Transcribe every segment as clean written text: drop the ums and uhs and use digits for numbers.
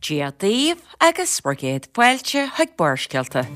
Dia daoibh agus bhur gcéad fáilte chuig Barrscéalta.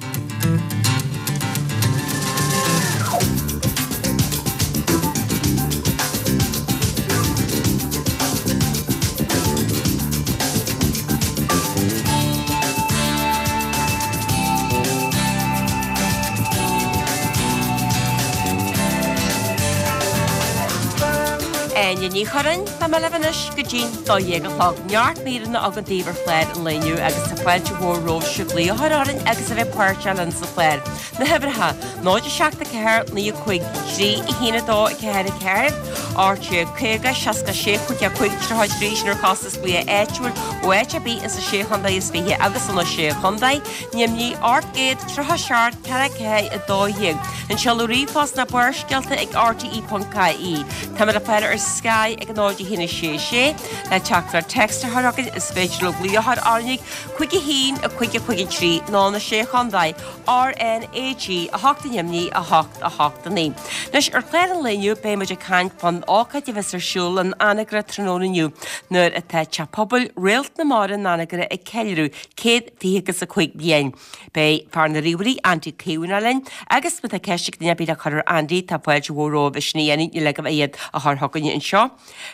Áine Ní Churráin, tá mé libh anois go dtí'n 12 a chlog. Neart míreanna againn daoibh ar chlár an lae inniu agus tá fáilte mhór romhaibhse glaoch a chur orainn agus a bheith páirteach linn sa chlár. Na huimhreacha, 0 7 4 9 5 3 1 2 4 4, 18 50 66 5 5 33 sin ar chostas glaoch áitiúil ó áit ar bith insa Sé Chontae is Fiche agus sna Sé Chontae, Nimhní 837 4 4 12. An seoladh ríomhphost ná barrscéalta ag rte.ie. Táimid le fáil ar Sky ag 0 1 6 6. Le teachtaireacht téacs a chur chugainn is féidir libh glaoch a chur orainn ag 5 1 5 5 3 nó na Sé Chontae, RnaG 8 i nDoimní 8 8 9. Anois ar chlár an lae inniu beidh muid ag caint fán ócáid a bheas ar siúl in Anagaire tráthnóna inniu nuair atá Teach Pobail Réalt na Mara in Anagaire ag ceiliúradh 120 agus 5 bliain. Beidh fear na ríomhairí Andy Caomhánach linn agus má tá ceist ag duine ar bith le cur ar Andy tá fáilte mhór romhaibh é sin a dhéanamh, níl agaibh ach iad a chur chugainne anseo.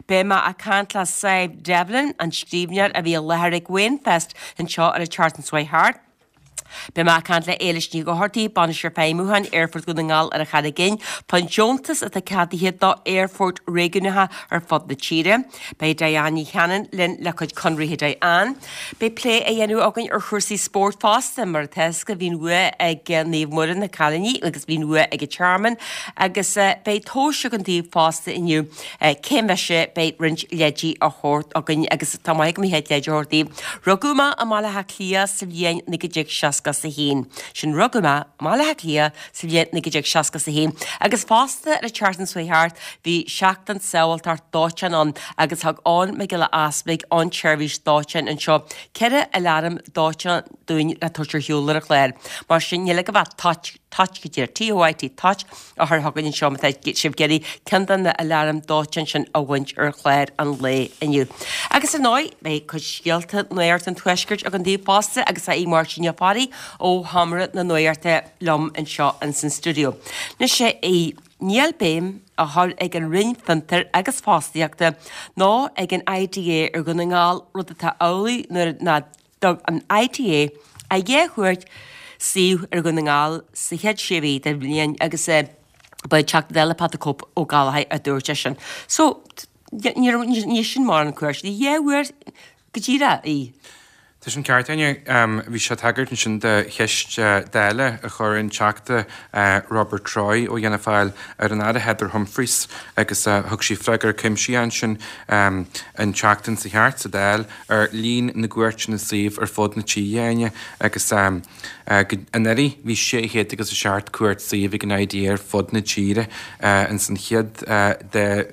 Beidh mé ag caint le Sadhbh Devlin, an scríbhneoir a bhí i láthair ag Wainfest anseo ar an tseachtain seo chuaigh thart. Beidh mé ag caint le Éilis Ní Dhochartaigh, Bainisteoir Feidhmiúcháin Aerfort Dhún na nGall ar an Charraig Fhinn, fán deontas atá ceadaithe d'aerfoirt réigiúnacha ar fud na tíre. Beidh Diane Ní Chanainn linn le cuid conraithe Diane. Beidh plé á dhéanamh againn ar chúrsaí spóirt fosta, mar atá fhios agaibh bhí an bhua ag Naomh Muire na cailíní agus bhí an bhua ag an Tearmann agus beidh tomhas againn daoibh fosta inniu. Cé mise? Beidh roinnt leidí á thabhairt againn agus tá maith agam a chéad leid a thabhairt daoibh. Rugadh mé i mBaile Átha Cliath sa bhliain 1961. Sin rugadh mé i mBaile Átha Cliath sa bhliain 1961 agus fosta ar an tseachtain seo chuaigh thart bhí seachtain sábháilteacht dóiteáin ann agus thug Eoin Mac Giolla Easpaig ón tseirbhís dóiteáin anseo 4 aláram dóiteáin dúinn le tabhairt ar shiúl ar an chlár. Mar sin níl agaibh ach toit, toit go díreach, T-O-I-T, toit, a chur chugainn anseo má tá sibh ag iarraidh ceann de na aláraim dóiteáin sin a bhaint ar chlár an lae inniu. Agus ar ndóigh, beidh cuid scéalta Nuacht an Tuaiscirt againn daoibh fosta agus tá Máirtín Ó Fearraigh ó Sheomra na Nuachta liom anseo ins an stiúideo. Anois í, níl béim á chur ag an Roinn Fiontar agus Fostaíochta ná ag an IDA ar Dhún na nGall, rud atá amhlaidh nuair nach dtug an IDA ach 2 chuairt suímh ar Dhún na nGall sa chéad sé mhí den bhliain agus ba é Teachta Dála Pat the Cope Ó Gallchóir a dúirt é sin. So, ní sin mórán cuairt, ní dhá uair go díreach í. Tá sin ceart, Áine. Bhí sé ag tagairt ansin do cheist Dála a chuir an Teachta Robert Troy ó Fhianna Fáil ar an Aire Heather Humphreys agus thug sí freagra cuimsitheach ansin an tseachtain seo thart sa Dáil ar líon na gcuairteanna suímh ar fud na tíre, Áine, agus anuraidh bhí 600 agus 7 cuairt suímh ag an IDA ar fud na tíre. Ins an chéad dá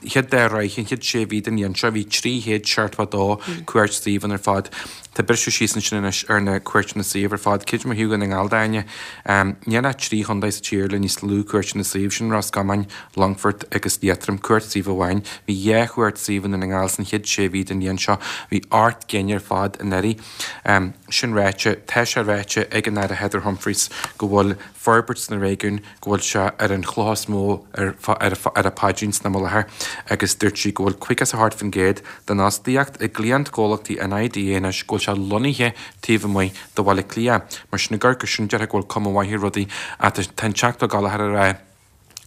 chéad dá ráithe, an chéad sé mhí den bhliain seo, bhí 372 cuairt suímh ann ar fad. Tá briseadh síos ansin anois ar na cuairteanna suímh ar fad. Creidim ó thaobh Dhún na nGall de, Áine, níl ach 3 chontae sa tír le níos lú cuairteanna suímh, sin Ros Comáin, Longfort agus Liatroim, cuairt suímh amháin. Bhí dhá chuairt suímh i nDún na nGall san chéad sé mhí den bhliain seo. Bhí ocht gcinn ar fad anuraidh. Sin ráite, tá sé ráite ag an Aire Heather Humphreys go bhfuil forbairt sna réigiúin, go bhfuil sé ar an chloch is mó ar a paidrín san am i láthair agus dúirt sí go bhfuil 58% den fhostaíocht i gcliantchomhlachtaí an IDA anois, go bhfuil sé lonnaithe taobh amuigh de Bhaile Átha Cliath. Mar sin, ag amharc air sin, déarfá go bhfuil cuma mhaith ar rudaí ach tá an Teachta Ó Gallchóir ag rá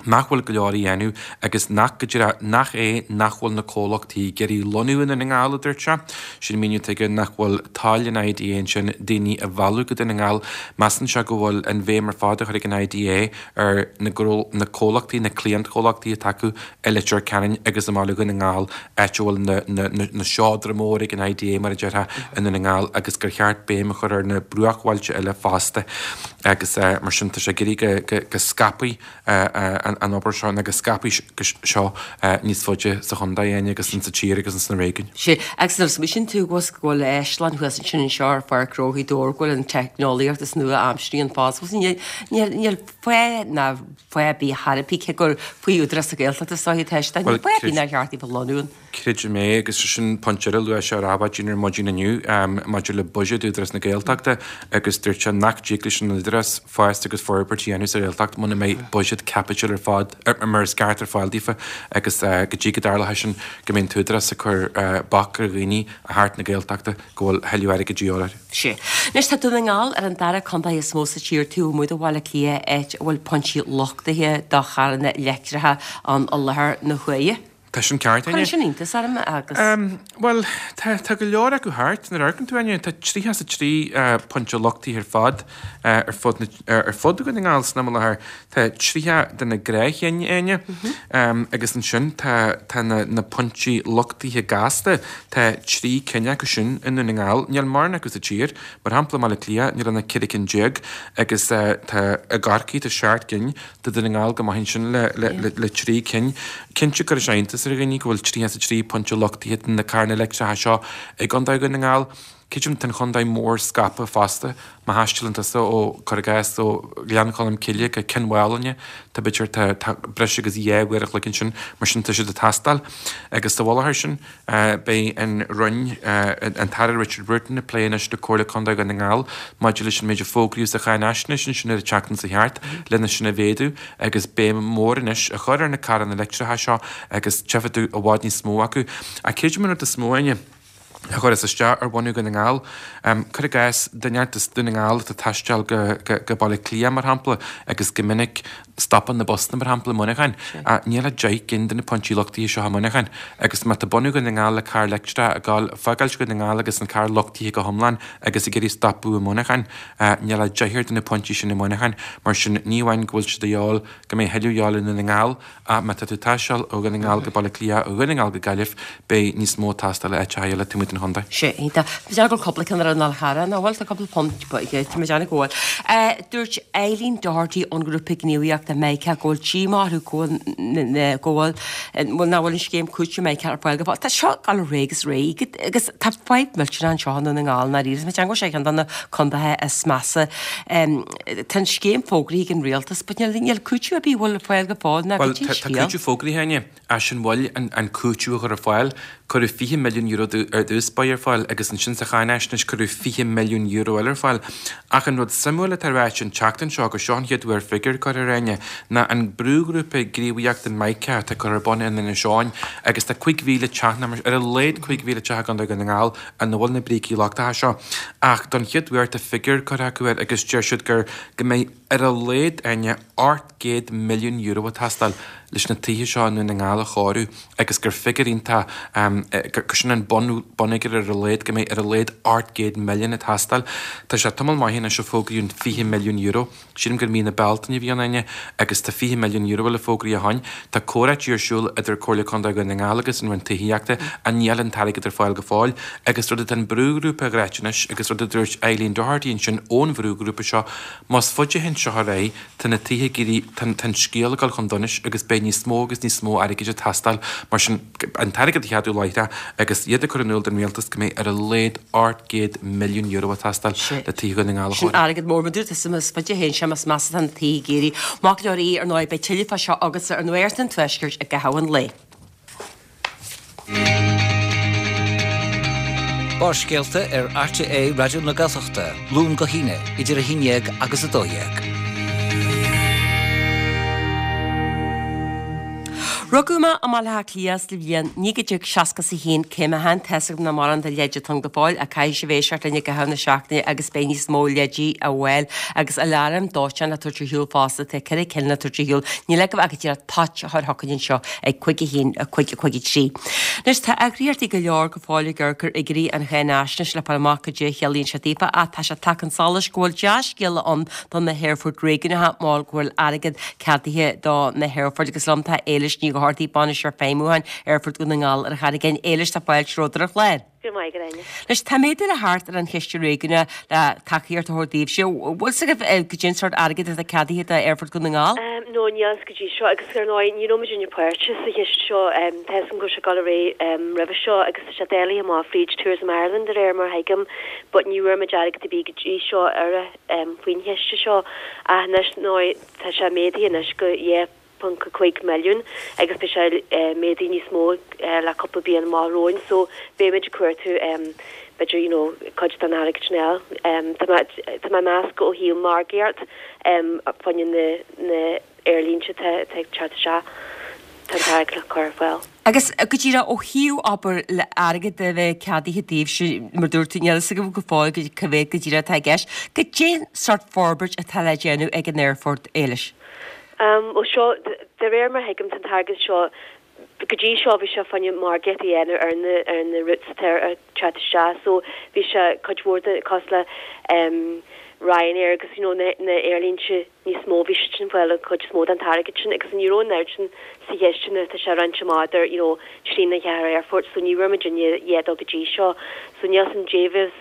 nach bhfuil go leor á dhéanamh agus nach, go díreach, nach é nach bhfuil na comhlachtaí ag iarraidh lonnú i nDún na nGall, a dúirt sé. Sin míniú atá aige nach bhfuil toil an IDA ansin daoine a mhealladh go Dún na nGall. Measann sé go bhfuil an bhéim ar fad á chur ag an IDA ar na na comhlachtaí, na cliantchomhlachtaí atá acu i Leitir Ceanainn agus i mbaile Dhún na nGall, áit a bhfuil na na na seodra móra ag an IDA, mar a déarfá, i nDún na nGall agus gur cheart béim a chur ar na bruachbhailte eile fosta agus mar sin tá sé ag iarraidh go go scaipfí an obair seo nó go scaipfí seo níos faide sa chontae, Áine, agus insa tír agus ins na réigiúin. Sea, agus nuair a smaoiníonn tú go bhfuil áislann thuas ansin anseo ar Pháirc Ghnó Ghaoth Dobhair, go bhfuil an teicneolaíocht is nua-aimseartha ann fosta, níl níl fáth ná fáth ar bith thar a bith, cé gur faoi Údarás na Gaeltachta is dóiche atá sé, níl fáth ar bith nár cheart daofa lonnú ann. Creidim é, agus sin pointe eile a luaigh sé ar Adhmhaidin ar maidin inniu maidir le buiséad Údarás na Gaeltachta agus dúirt sé nach dtig leis an Údarás fás agus forbairt a dhéanamh sa Ghaeltacht muna mbeidh buiséad caipitil ar fad mar is ceart ar fáil daofa agus go dtí go dtarlóidh sin go mbeidh an tÚdarás ag cur bac ar dhaoine a theacht na Gaeltachta go bhfuil thuilleadh airgid de dhíobháil orthu. Sea. Anois tá Dún na nGall ar an dara contae is mó sa tír taobh amuigh de Bhaile Átha Cliath áit a bhfuil pointí luchtaithe do charranna leictreacha ann i láthair na huaire. Tá sin ceart, Áine. Cuireann sin iontas orm agus. Bhuel, tá, tá go leor acu thart, nuair a amharcann tú, Áine, tá 33 pointe luchtaithe ar fad ar fud na, ar fud Dhún na nGall san am i láthair. Tá 30 de na gnáthchinn, Áine, agus ansin tá, tá na, na pointí luchtaithe gasta, tá 3 cinn acu sin i Ndún na nGall. Níl mórán acu sa tír. Mar shampla, i mBaile Átha Cliath, níl ach 14 cinn agus tá, i gCorcaigh tá 7 gcinn. Tá Dún na nGall go maith ansin le 3 cinn. Cinnte cuirfidh sé iontas ar dhaoine go bhfuil 33 pointe luchtaithe de na carranna leictreacha seo i gContae Dhún na nGall. Creidim tá an chontae mór scaipthe fosta. Má thaistealann tusa ó, cuir i gcás, ó Ghleann Cholm Cille go Cionn Mhálanna, tá b'fhéidir, tá, tá breis agus 2 uair a chloig ansin, mar sin tá siad ag teastáil. Agus sa mhullach air sin, Beidh an Roinn, an tAire Richard Bruton ag plé anois le Comhairle Contae Dhún na nGall maidir leis an méid a fógraíodh sa cháinaisnéis ansin ar an tseachtain seo thart lena sin a mhéadú agus béim mhór anois a chur ar na carranna leictreacha seo agus tchífidh tú i bhfad níos mó acu. Ach creidim an rud is mó, Áine, a chuireas isteach ar bhunadh Dhún na nGall, cuir i gcás, duine as Dún na nGall atá ag taisteal go Baile Átha Cliath, mar shampla, agus go minic Stopann na busanna, mar shampla, i Muineachán. Níl ach 10 gcinn de na pointí luchtaithe seo i Muineachán. Agus má tá bunadh Dhún na nGall le carr leictreach ag gabháil, fágáilt Dhún na nGall agus an carr luchtaithe go hiomlán agus ag iarraidh stopadh i Muineachán, níl ach deichniúr de na pointí sin i Muineachán. Mar sin, ní amháin go bhfuil siad a dhíobháil, go mbeidh thuilleadh a dhíobháil i Ndún na nGall, ach má tá tú ag taisteal ó Dhún na nGall go Baile Átha Cliath, ó Dhún na nGall go Gaillimh, beidh níos mó ag teastáil i áiteacha eile taobh amuigh den chontae. Sea, iontach. Tá mé ag déanamh go bhfuil cúpla ceann ar an Fhál Charrach, nach bhfuil? Tá cúpla punt, tá mé ag déanamh go bhfuil. Dúirt Eileen Doherty ón ngrúpa gníomhaíochta Mica go bhfuil díomá orthu go bhfuil, go bhfuil, bhuel nach bhfuil an scéim cúitimh Mica ar fáil go fóill. Tá seo ag dul ar aghaidh agus ar aghaidh agus tá fadhb millteanach anseo i nDún na nGall i ndáiríre. Tá mé ag déanamh go bhfuil sé ar cheann de na contaetha is measa. Tá an scéim fógraithe ag an rialtas but níl, níl cúiteamh ar bith a bhfuil ar fáil go fóill ná Bhuel, tá cúiteamh fógraithe, Áine. Ach an bhfuil an cúiteamh a chur ar fáil. Cuireadh €20 milliún ar dtús báire ar fáil agus ansin sa cháinaisnéis cuireadh €20 milliún eile ar fáil. Ach an rud suimiúil atá ráite an tseachtain seo, agus seo an chéad uair figiúr curtha air, Áine, ná an brúghrúpa gníomhaíochta Mica atá curtha ar bun in Inis Eoghain agus tá 5,000 teach, nó ar a laghad 5,000 teach i gContae Dhún na nGall ina bhfuil na brící lochtacha seo. Ach don chéad uair tá figiúr curtha acu air agus deir siad gur go mbeidh ar a laghad, Áine, €800 milliún ag teastáil leis na tithe seo i nDún na nGall a chóiriú agus gur figiúr iontach, gur sin an bunfhigiúr ar a laghad, go mbeidh ar a laghad 800 milliún ag teastáil. Tá sé tamall maith anois ó fógraíodh an €20 milliún. Sílim gur mí na Bealtaine a bhí ann, Áine, agus tá €20 milliún eile fógraithe ó shin. Tá comhráití ar siúl idir Comhairle Contae Dhún na nGall agus an Roinn Tithíochta ach níl an t-airgead ar fáil go fóill. Agus rud atá an brúghrúpa a ráit anois agus rud a dúirt Eileen Doherty ansin ón bhrúghrúpa seo, Más faide a théann seo ar aghaidh, tá na tithe ag éirí, tá an scéal ag dul chun donais agus beidh níos mó agus níos mó airgid ag teastáil. Mar sin, an t-airgead a cheadú láithreach agus iad ag cur in iúl don rialtas go mbeidh ar a laghad €800 milliún ag teastáil le tithe Dhún na nGall a Sin chóiriú. airgead mór, mar dúirt tusa, más faide a théann sé, más measa atá na tithe ag éirí. Maith go leor, ar ndóigh, beidh tuilleadh fá seo agatsa ar Nuacht an Tuaiscirt i gcaitheamh an lae. Barrscéalta ar RTÉ Raidió na Gaeltachta, Luan go hAoine, idir 11 agus 12. Rugadh mé i mBaile Átha Cliath sa bhliain 1961, cé mé féin, tá's agam nach mórán de leid atá ann go fóill ach caithfidh sibh éisteacht linn i gcaitheamh na seachtaine agus beidh níos mó leidí á bhfáil agus aláram dóiteáin le tabhairt ar shiúl fosta, tá ceithre cinn le tabhairt ar shiúl, níl agaibh ach díreach toit a chur chugainn anseo ag 5 1, 5 5 3. Anois tá eagraíochtaí go leor go fóill ag amharc ar fhigiúirí an cháinaisnéis le fáil amach goidé a chiallaíonn sé daofa ach tá sé tagtha chun solais go bhfuil dea-scéala ann do na haerfoirt réigiúnacha mar go bhfuil airgead ceadaithe do na haerfoirt agus liom tá Éilis Ní Dhochartaigh, Bainisteoir Feidhmiúcháin Aerfort Dhún na nGall ar an Charraig Fhinn. Éilis, tá fáilte romhat ar an chlár. Go raibh maith agat, Áine. Anois, tá méadú le theacht ar an chiste réigiúnach le tacaíocht a thabhairt daoibhse. Bhfuil 's agaibh goidé an sórt airgid atá ceadaithe d'Aerfort Dhún na nGall? No, níl fhios go dtí seo agus ar ndóigh ní raibh muidinne páirteach sa chiste seo. Tá fhios agam go raibh sé ag dul ar aghaidh roimhe seo agus tá sé dáilithe amach fríd Tourism Ireland de réir mar a thuigim but ní bhfuair muid airgead ar bith go dtí seo ar faoin chiste seo ach anois, ar ndóigh, tá sé méadaithe anois go 2. 1.5 milliún agus beidh sé méadaithe níos mó le cúpla bliain amach romhainn so beimid ag cuartú b'fhéidir you know cuid den airgead sin a fháil. Tá mé tá mé ag meas go ó thaobh margaíocht fá choinne na na aerlínte atá ag teacht isteach tá an t-airgead le cur ar fáil. Agus go díreach ó thaobh abair le airgead a bheith ceadaithe daoibhse, mar dúirt tú, níl a fhios agaibh go fóill cá mhéad go díreach atá i gceist. Goidé an sórt forbairt atá le déanamh ag an aerfort, Éilis? Bhuel seo, de réir mar a thuigim, tá an t-airgead seo, go dtí seo bhí sé fá choinne margaíocht a dhéanamh ar na, ar na routes atá ag teacht isteach so bhí sé cuid mhór de, cosúil le Ryanair agus you know na, na aerlínte níos mó, bhí siad sin ag fáil an chuid is mó den t-airgead sin agus ní raibh an oiread sin sa chiste nuair atá sé roinnte amach idir you know trí nó cheathair aerfort so ní bhfuair muid a dhath dó go dtí seo so níl a fhios agam goidé a bheas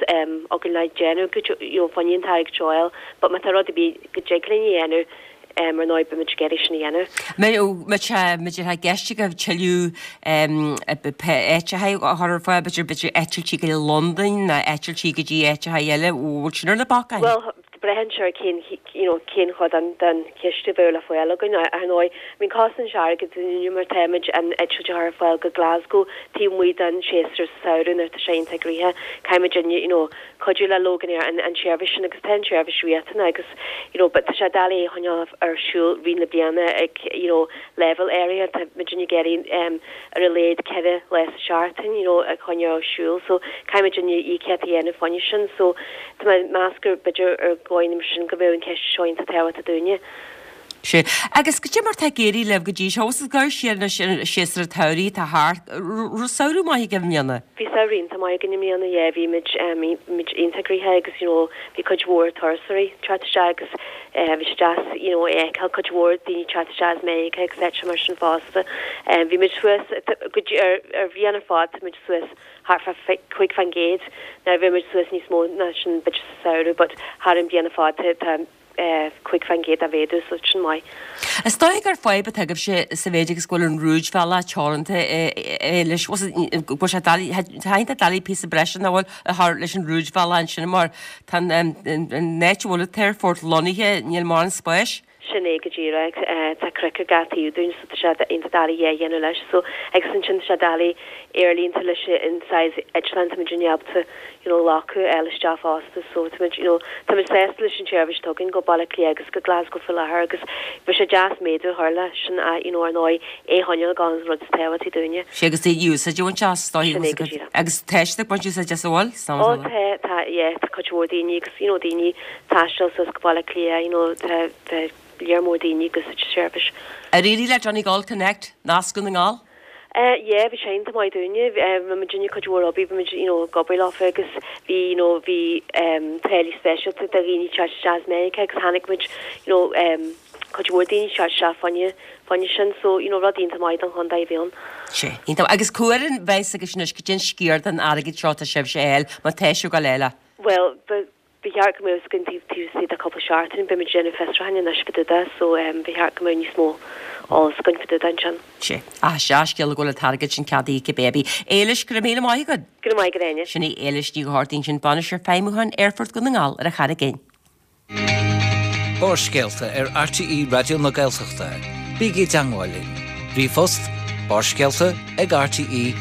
againn le déanamh go, you know fá choinne an t-airgead seo a fháil but má tá rud ar bith go dtig linn a dhéanamh ar ndóigh beimid ag iarraidh sin a dhéanamh. Má tá sé i gceist agaibh tuilleadh áiteacha a chur ar fáil, b'fhéidir b'fhéidir eitiltí go Londain nó eitiltí go dtí áiteacha eile, bhfuil sin ar na bacáin? Bhuel, braitheann sé ar cén, you know, cén chuid den, den chiste a bheadh le fáil againn. Ar ndóigh, I mean, cosnaíonn sé airgead dúinne mar táimid an eitilt a chur ar fáil go Glasgow taobh amuigh den séasúr sa samhradh nuair atá sé iontach gnoitheach. Caithfimid, you know, cuidiú le Loganair an an tseirbhís sin agus tá an tseirbhís riachtanach agus you know but tá sé doiligh é a choinneáil ar siúl rith na bliana ag you know leibhéal áirithe tá muidinne ag iarraidh um ar a laghad 4 lá sa seachtain you know a choinneáil ar siúl so caithfidh muidinne íocaíocht a dhéanamh fá choinne sin so tá mé ag meas gur b'fhéidir ar dhóigh mar sin go mbeadh an ceist seo iontach tábhachtach dúinne. Sea. Agus goidé mar tá ag éirí libh go dtí seo? Agus ag gabháil siar anois ar an séasúr an tsamhraidh atá thart, raibh samhradh maith agaibh i mbliana? Bhí samhradh iontach maith againn i mbliana, yeah, bhí muid, bhí muid iontach gnoitheach agus you know bhí cuid mhór turasóirí ag teacht isteach agus bhí sé deas you know é a fheiceáil, cuid mhór daoine ag teacht isteach as Meiriceá agus áiteacha mar sin fosta. Bhí muid suas, go dtí, ar, ar bhliain ar fad tá muid suas thart fá 5%, now bhí muid suas níos mó ná sin b'fhéidir sa samhradh but thar an bhliain ar fad tá, tá, 5% de mhéadú, so sin maith. Is dóigh gur fadhb atá agaibhse sa mhéid agus go bhfuil an rúidbhealach teoranta leis, go bhfuil sé doiligh, tá iontach doiligh píosa breise nach bhfuil a chur leis an rúidbhealach ansin mar tá an áit a bhfuil an t-aerfort lonnaithe, níl mórán spáis. Sin é go díreach. Tá cnoic ar gach taobh dúinn so tá sé iontach doiligh a dhéanamh leis. So agus ansin tá sé doiligh aerlínte leis an saghas eitleán tá muidinne ábalta you know glacadh a fháil isteach fosta so táimid you know táimid sásta leis an tseirbhís atá againn go Baile Átha Cliath agus go Glasgow faoi láthair agus bheadh sé deas méadú a chur leis sin ach you know ar ndóigh é a choinneáil ag gabháil an rud is tábhachtaí dúinne. Sea agus daoine úsáid a bhaint as, is dóigh Sin é go díreach. Agus tá siad ag baint úsáid as an bhfuil? Ó tá tá yeah tá cuid mhór daoine agus you know daoine ag taisteal suas go Baile Átha Cliath you know tá tá léar mór daoine ag úsáid an tseirbhís. Ar éirigh le Donegal Connect, nasc Dhún na nGall? Yeah, bhí sé iontach maith dúinne. Bhí muid ag déanamh cuid mhór oibre, bhí muid, you know, ag obair leofa agus bhí, you know, bhí táillí speisialta do dhaoine teacht isteach as Meiriceá agus tháinig muid, you know, cuid mhór daoine teacht isteach fá choinne, fá choinne sin. So, you know, rud iontach maith don chontae a bhí ann. Sea, iontach. Agus cá huair a bheas agaibh anois goidé an sciar den airgead seo atá sibhse a fháil, má tá sibh ag gabháil a fháil é? Bhuel, ba Ba cheart go mbeadh a fhios againn taobh istigh de cúpla seachtain, beimid ag déanamh fiosrúcháin anois fá dtaobh de so ba cheart go mbeadh níos mó eolas againn fá dtaobh de ansin. Sea. Ach dea-scéala go bhfuil an t-airgead sin ceadaithe cibé ar bith. Éilis, go raibh míle maith agat. Go raibh maith agat, Áine. Sin í Éilis Ní Dhochartaigh ansin, Bainisteoir Feidhmiúcháin Aerfort Dhún na nGall ar an Charraig Fhinn. Barrscéalta ar RTÉ Raidió na Gaeltachta. Bígí i dteangmháil linn. Ríomhphost, barrscéalta ag rte.ie.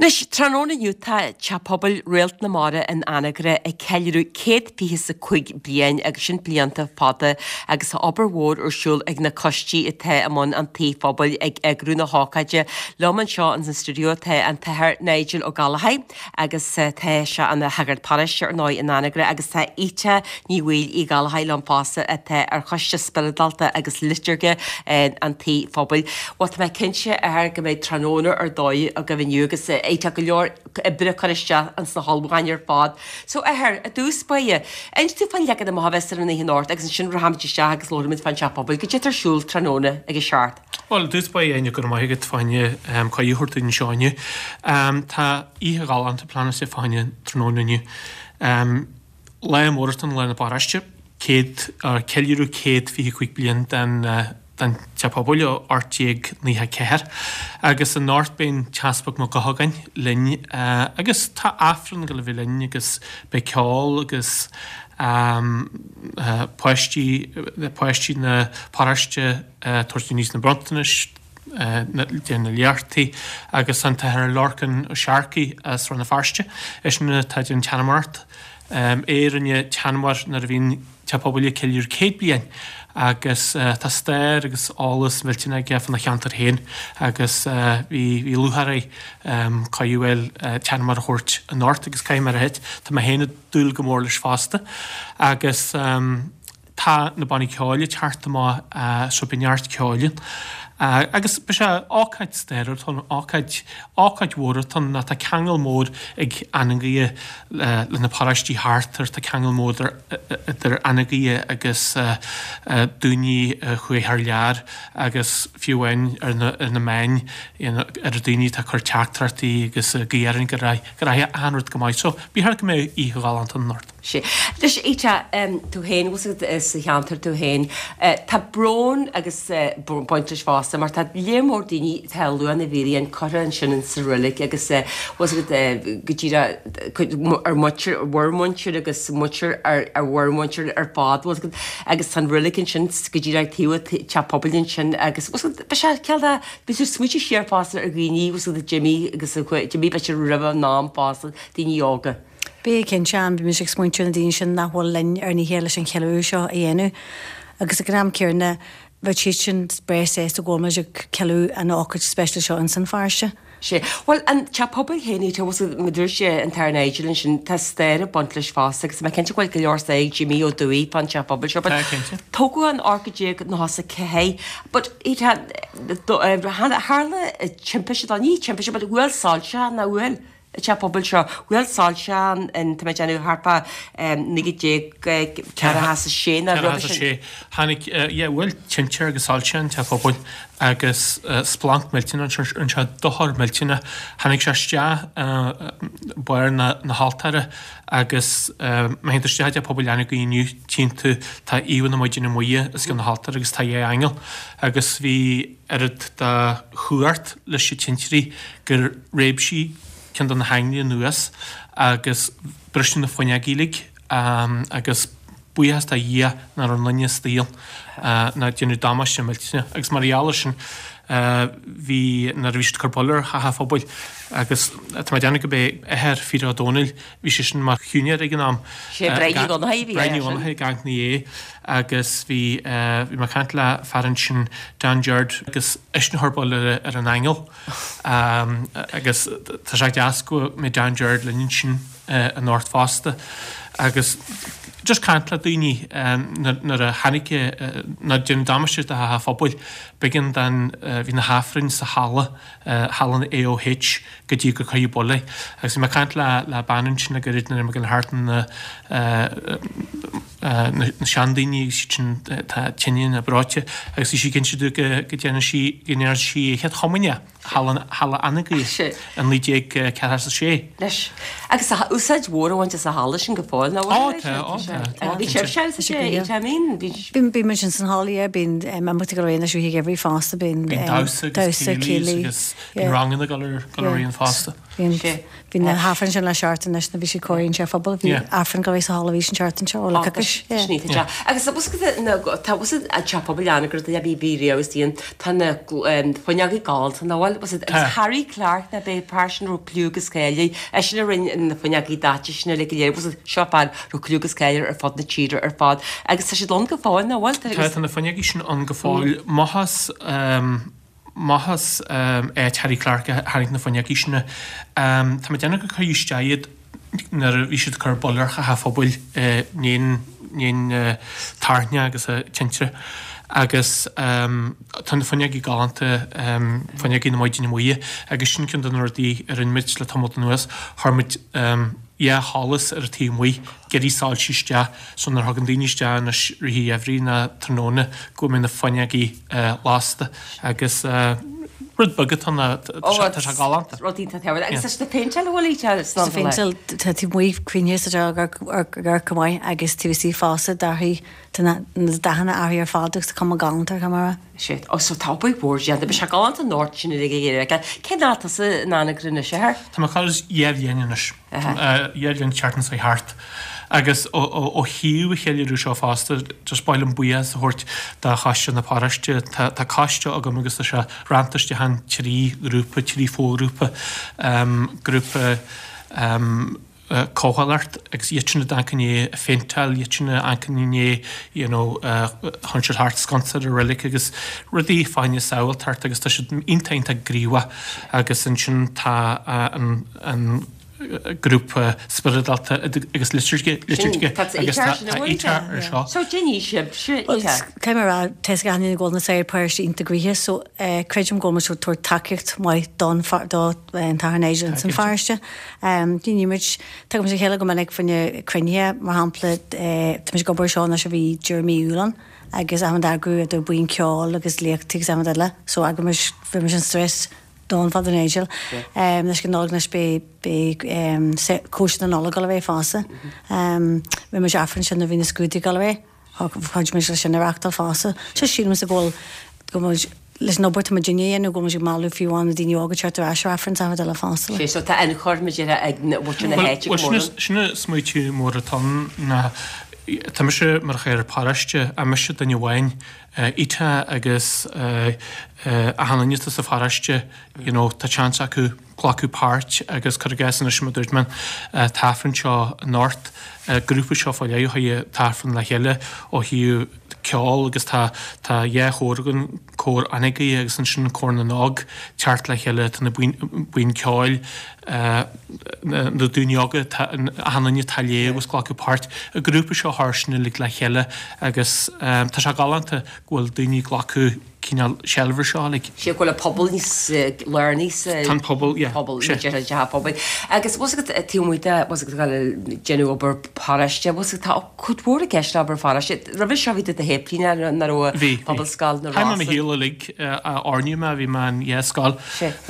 Anois, tráthnóna inniu tá Teach Pobail Réalt na Mara in Anagaire ag ceiliúradh 125 bliain agus sin blianta fada agus tá obair mhór ar siúl ag na coistí atá i mbun an tí phobail ag eagrú na hócáide. Liom anseo ins an stiúideo tá an tAthair Nigel Ó Gallchóir agus tá sé ina shagart paróiste ar ndóigh in Anagaire agus tá Ita Ní Bhaoill Uí Ghallchóir liom fosta atá ar Choiste Spioradálta agus Liotúirge an Tí Phobail. Bhuel tá mé cinnte a Athair go mbeidh tráthnóna ar dóigh agaibh inniu agus tá go leor oibre curtha isteach ins na hullmhúcháin ar fad. So a Athair, i dtús báire, inis dúinn fán leagan amach a bheas ar an oíche anocht agus ansin rachaimid isteach agus labhróimid fán Teach Pobail. Goidé atá ar siúl tráthnóna ag a seacht. Bhuel, i dtús báire, Áine, go raibh maith agat fá choinne cuireadh a thabhairt dúinn anseo inniu. Tá oíche ghalánta pleanáilte fá choinne tráthnóna inniu. Lá mór atá ann, lá na paróiste, céad, ceiliúradh 125 bliain den den Teach Pobail ó 1894 agus anocht beidh an tEaspag Mac Eochagáin linn agus tá Aifreann ag dul a bheith linn agus beidh ceol agus. Páistí, páistí na paróiste ag tabhairt aníos na bronntanais, déanamh na léachtaí agus an tAthair Lorcan Ó Searcaigh as Rann na Feirste, eisean atá ag déanamh teanamaireacht. É a rinne teanamóir nuair a bhí an Teach Pobail ag ceiliúradh 100 bliain agus tá stair agus eolas millteanach aige fána cheantar féin agus bhí bhí lúcháir air cuireadh a fháil teanamóir a thabhairt anocht agus caithfidh mé a ráit tá mé féin ag dúil go mór leis fosta agus Tá na bannaí ceoil ag teacht amach so beidh neart ceoil ann. Agus beidh sé ócáid stairiúil atá ann, ócáid, ócáid mhór atá ann nó tá ceangal mór ag Eanach Ghaoithe le na paróistí thart air, tá ceangal mór idir Eanach Ghaoithe agus daoine a chuaigh thar lear agus fiú amháin ar na, ar na meáin, ar daoine atá ag cur teachtaireachtaí agus ag guí orainn go rachaidh achan rud go maith. So, ba cheart go mbeadh oíche ghalánta ann anocht. Sea. Anois, Ita, tú féin, bhfuil fhios agat, sa cheantar tú féin, tá brón agus baint leis fosta mar tá léar mór daoine, tá Luan na bhFíréan curtha ansin in sa reilig agus bhfuil fhios agat, go díreach cuid ár muintir, bhur muintir agus muintir ár bhur muintir ar fad, bhfuil fhios agat, agus tá an reilig ansin go díreach taobh an teach pobail ansin agus bhfuil fhios agat, beidh sé cineál de, beidh tú ag smaointiú siar fosta ar dhaoine, bhfuil fhios agat, a d'imigh agus a d'imigh b'fhéidir roimh a n-am fosta, daoine óga. Beidh, cinnte, an bhí mise ag smaointiú ar na daoine sin nach bhfuil linn ar an oíche leis an cheiliúradh seo a dhéanamh agus ag an am céanna bheadh siad sin breá sásta go bhfuil muid ag ceiliúradh an ócáid speisialta seo ins an pharóiste. Sea. Bhuel, an teach pobail féin, tá fhios agat, mar a dúirt an tAthair Nigel ansin, tá stair ag baint leis fosta agus tá mé cinnte go bhfuil go leor stair ag Jimí Ó Dubhthaigh fán teach pobail seo but Tá, cinnte. tógadh in 1894 but tharla timpiste, ní timpiste but bhuail soilse nach bhfuil? An teach pobail seo. Bhuail soilse an, tá mé ag déanamh, thart fá 1946 nó roimhe sin. 46. Tháinig, yeah, bhuail tinte agus soilse an teach pobail agus splanc millteanach rinne sé dochar millteanach. Tháinig sé isteach barr na na haltóra agus má théann tú isteach i dteach pobail Eanach Ghaoithe inniu tchíonn tú tá íomhá na Maighdine Muire os cionn na haltóra agus tá dhá aingeal agus bhí oiread de chumhacht leis na tintrí gur réab sí ceann de na hainglí anuas agus briseadh na fuinneogaí uilig agus buíochas do Dhia nach raibh aon duine istigh ná déanadh damáiste millteanach agus mar gheall air sin bhí nuair a bhí siad ag cur buille ar theach an phobail agus tá mé ag déanamh gurb é athair Phete Ó Domhnaill Bhí sé sin mar shiúinéir ag an am. Sé Brian Uí Dhonnchadha a bhí air sin. Brian Uí Dhonnchadha ag amharc ina dhiaidh agus bhí bhí mé ag caint le fear ansin Dan Gerard agus eisean a chuir buille ar an aingeal agus tá sé deas go mbeidh Dan Gerard linn ansin anocht fosta agus just caint le daoine nuair a tháinig nuair a déanadh damáiste do theach an phobail b'éigean don bhí na hAifrinn sa halla halla an AOH go dtí gur cuireadh buille. Agus bhí mé ag caint le le bean ansin le gairid nuair a bhí mé ag dul thart na na seandaoine agus iad sin atá tinn nó breoite agus bhí sí ag inse domh go go ndearna sí go ndearna sí a chéad chomaoineach halla halla Eanach Ghaoithe in 1946. Leis. Agus tá úsáid mhór á bhaint as an halla sin go fóill, nach bhfuil? Ó tá, ó tá, tá. Bhí sibhse sa sé, I mean, bhí. Bíonn bíonn muid ins an halla, yeah, bíonn imeachtaí ag dul ar aghaidh anois i rith an gheimhridh fosta, bíonn Bíonn damhsa agus céilí agus bíonn ranganna ag dul ar dul ar aghaidh fosta. Bíonn bhí na hAifrinn sin le seachtain anois nuair bhí siad cóirithe an teach phobail, bhí Aifreann ag dul ar aghaidh sa halla arís an tseachtain seo, ó le coicís. Yeah. Agus tá fhios agat na tá fhios an teach pobail Anagaire do bhí bhí riamh is díon tá na fuinneogaí galánta nach bhfuil fhios agat agus Harry Clarke ná b'é fear sin raibh cliú agus cáil air eisean a rinne na fuinneogaí daite sin uilig go léir fhios agat seo fear raibh cliú agus cáil air ar fud na tíre ar fad agus tá siad ann go fóill nach bhfuil? Tá tá na fuinneogaí sin ann go fóill. Amach as amach as áit Harry Clarke a tháinig na fuinneogaí sin. Tá mé ag déanamh gur cuireadh isteach iad nuair a bhí siad ag cur buille ar theach an phobail i ndiaidh na tairne agus na tinte agus tá na fuinneogaí galánta, fuinneogaí na Maighdine Muire agus sin ceann de na rudaí a rinne muid le tamall anuas, chuir muid dhá sholas ar an taobh amuigh, ag iarraidh soilse isteach so nuair a thagann daoine isteach anois i rith an gheimhridh ná tráthnóna go mbeidh na fuinneogaí lasta agus rud beag atá ann tá sé galánta. Rud iontach tábhachtach. Agus tá sé péinteáilte an bhfuil í Tá péinteáilte tá taobh amuigh cruinnithe sa teach ag go maith agus taobh istigh fosta d'athraigh tá na dathanna athraithe ar fad agus tá cuma galánta ar chuma. Sea. Ó so tá obair mhór déanta. Beidh sé galánta anocht sin uilig ag iarraidh a fheiceáil. Cén fhad tusa in Anagaire anois, a Athair? Tá mé ag dul dhá bhliain anois. Dhá bhliain an tseachtain seo thart. Agus ó thaobh an cheiliúradh seo fosta, just ba mhaith liom buíochas a thabhairt do choiste na paróiste. Tá coiste agam agus tá sé rannta isteach in 3 ghrúpa, 3 foghrúpa, grúpa comhdhálacht agus iad sin a d'amharc i ndiaidh phéinteáil, iad sin a amharc i ndiaidh you know théann siad thart sconsa ar an reilig agus rudaí fá choinne sábháilteacht agus tá siad iontach iontach gníomhach agus ansin tá an an grúpa spioradálta agus liturgy agus tá Ita ar seo. So déanfaidh sibhse Ita. Caithfidh mé a rá, tá 'fhios ag achan duine go bhfuil na saoir paróiste iontach gnoitheach so creidim go bhfuil muid ag tabhairt tacaíocht mhaith don do an tAthair Nigel ins an pharóiste. Ní muid, tagaimid le chéile go minic fá choinne cruinnithe, mar shampla tá muid ag obair seo anois ó bhí deireadh mí Iúil ann agus achan eagrú idir buíon ceoil agus léachtaí agus achan rud eile so eagraímid bhí an stress don Father Nigel. Anois go Nollaig anois beidh beidh cóisir na Nollag ag dul ar aghaidh fosta. Rinne muid Aifreann sin nuair a bhí na scrúduithe ag dul ar aghaidh. Chuidigh muid leis sin a reachtáil fosta. So sílimse go bhfuil go bhfuil leis an obair atá muidinne a dhéanamh go bhfuil muid ag mealladh fiú amháin na daoine óga teacht ar ais ar Aifreann is achan rud eile fosta. Sé so tá ionchur muid ag muintir na háite go mór. Bhuel sin an smaoitiú mór atá ann ná tá mise mar chathaoirleach paróiste ach mise duine amháin Ita agus achan duine atá sa pharóiste you know tá seans acu glacadh páirt agus cuir i gcás anois mar a dúirt mé an t-aifreann seo anocht, grúpa seo fá leith a chuir an t-aifreann le chéile ó thaobh ceol agus tá tá dhá chór againn, cór Anagaire agus ansin cór na nÓg teacht le chéile, tá na buíon ceoil, na daoine óga, achan duine atá ag léamh agus glacadh páirt, an grúpa seo a chur sin uilig le chéile agus tá sé galánta go bhfuil daoine ag glacadh cineál seilbh ar seo uilig. Sé go bhfuil an pobal níos lárnaí sa Tá an pobal, yeah. pobal, ní déarfainn teach pobail. Agus bhfuil 's agat taobh amuigh de, bhfuil 's agat ag déanamh obair paróiste, bhfuil 's agat tá cuid mhór i gceist le obair pharóiste. Roimhe seo bhí tú i do shéiplíneach nach raibh Bhí, bhí. Pobalscoil na Chaith mé mo shaol uilig a oirniú mé, bhí mé in dhá scoil,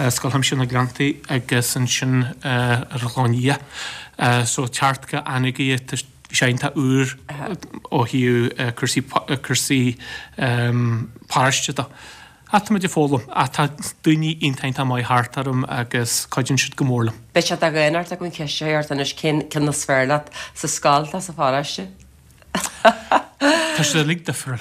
Scoil Chuimsitheach na Gleanntaí agus ansin ar an Chlochán Liath. So teacht go Anagaire, bhí sé iontach úr ó thaobh cúrsaí, cúrsaí paróiste de. Ach tá muid ag foghlaim. Ach tá daoine iontach iontach maith thart orm agus cuidíonn siad go mór liom. Beidh sé de dhaonnacht agam an cheist seo ort anois, cén ceann is fearr leat, sa scoil nó sa pharóiste? Tá siad uilig difriúil.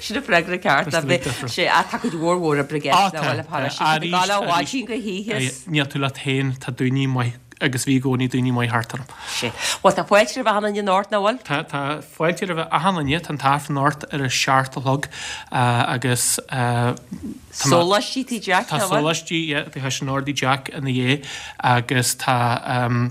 Sin an freagra ceart. Tá siad uilig difriúil. Sé, ach tá cuid mhór mhór oibre i gceist le bhaile paróiste. Tá tú ag gabháil ó mhaidin go hoíche. Níl tú leat féin, tá daoine maith agus bhí i gcónaí daoine maith thart orm. Sea. Bhuel, tá fáilte roimh achan duine anocht, nach bhfuil? Tá, tá fáilte roimh achan duine. Tá an t-aifreann anocht ar a seacht a chlog agus tá mé. Sóláistí Tigh Jack, nach bhfuil? Tá sóláistí, yeah, tá sin in ord Tigh Jack ina dhiaidh agus tá,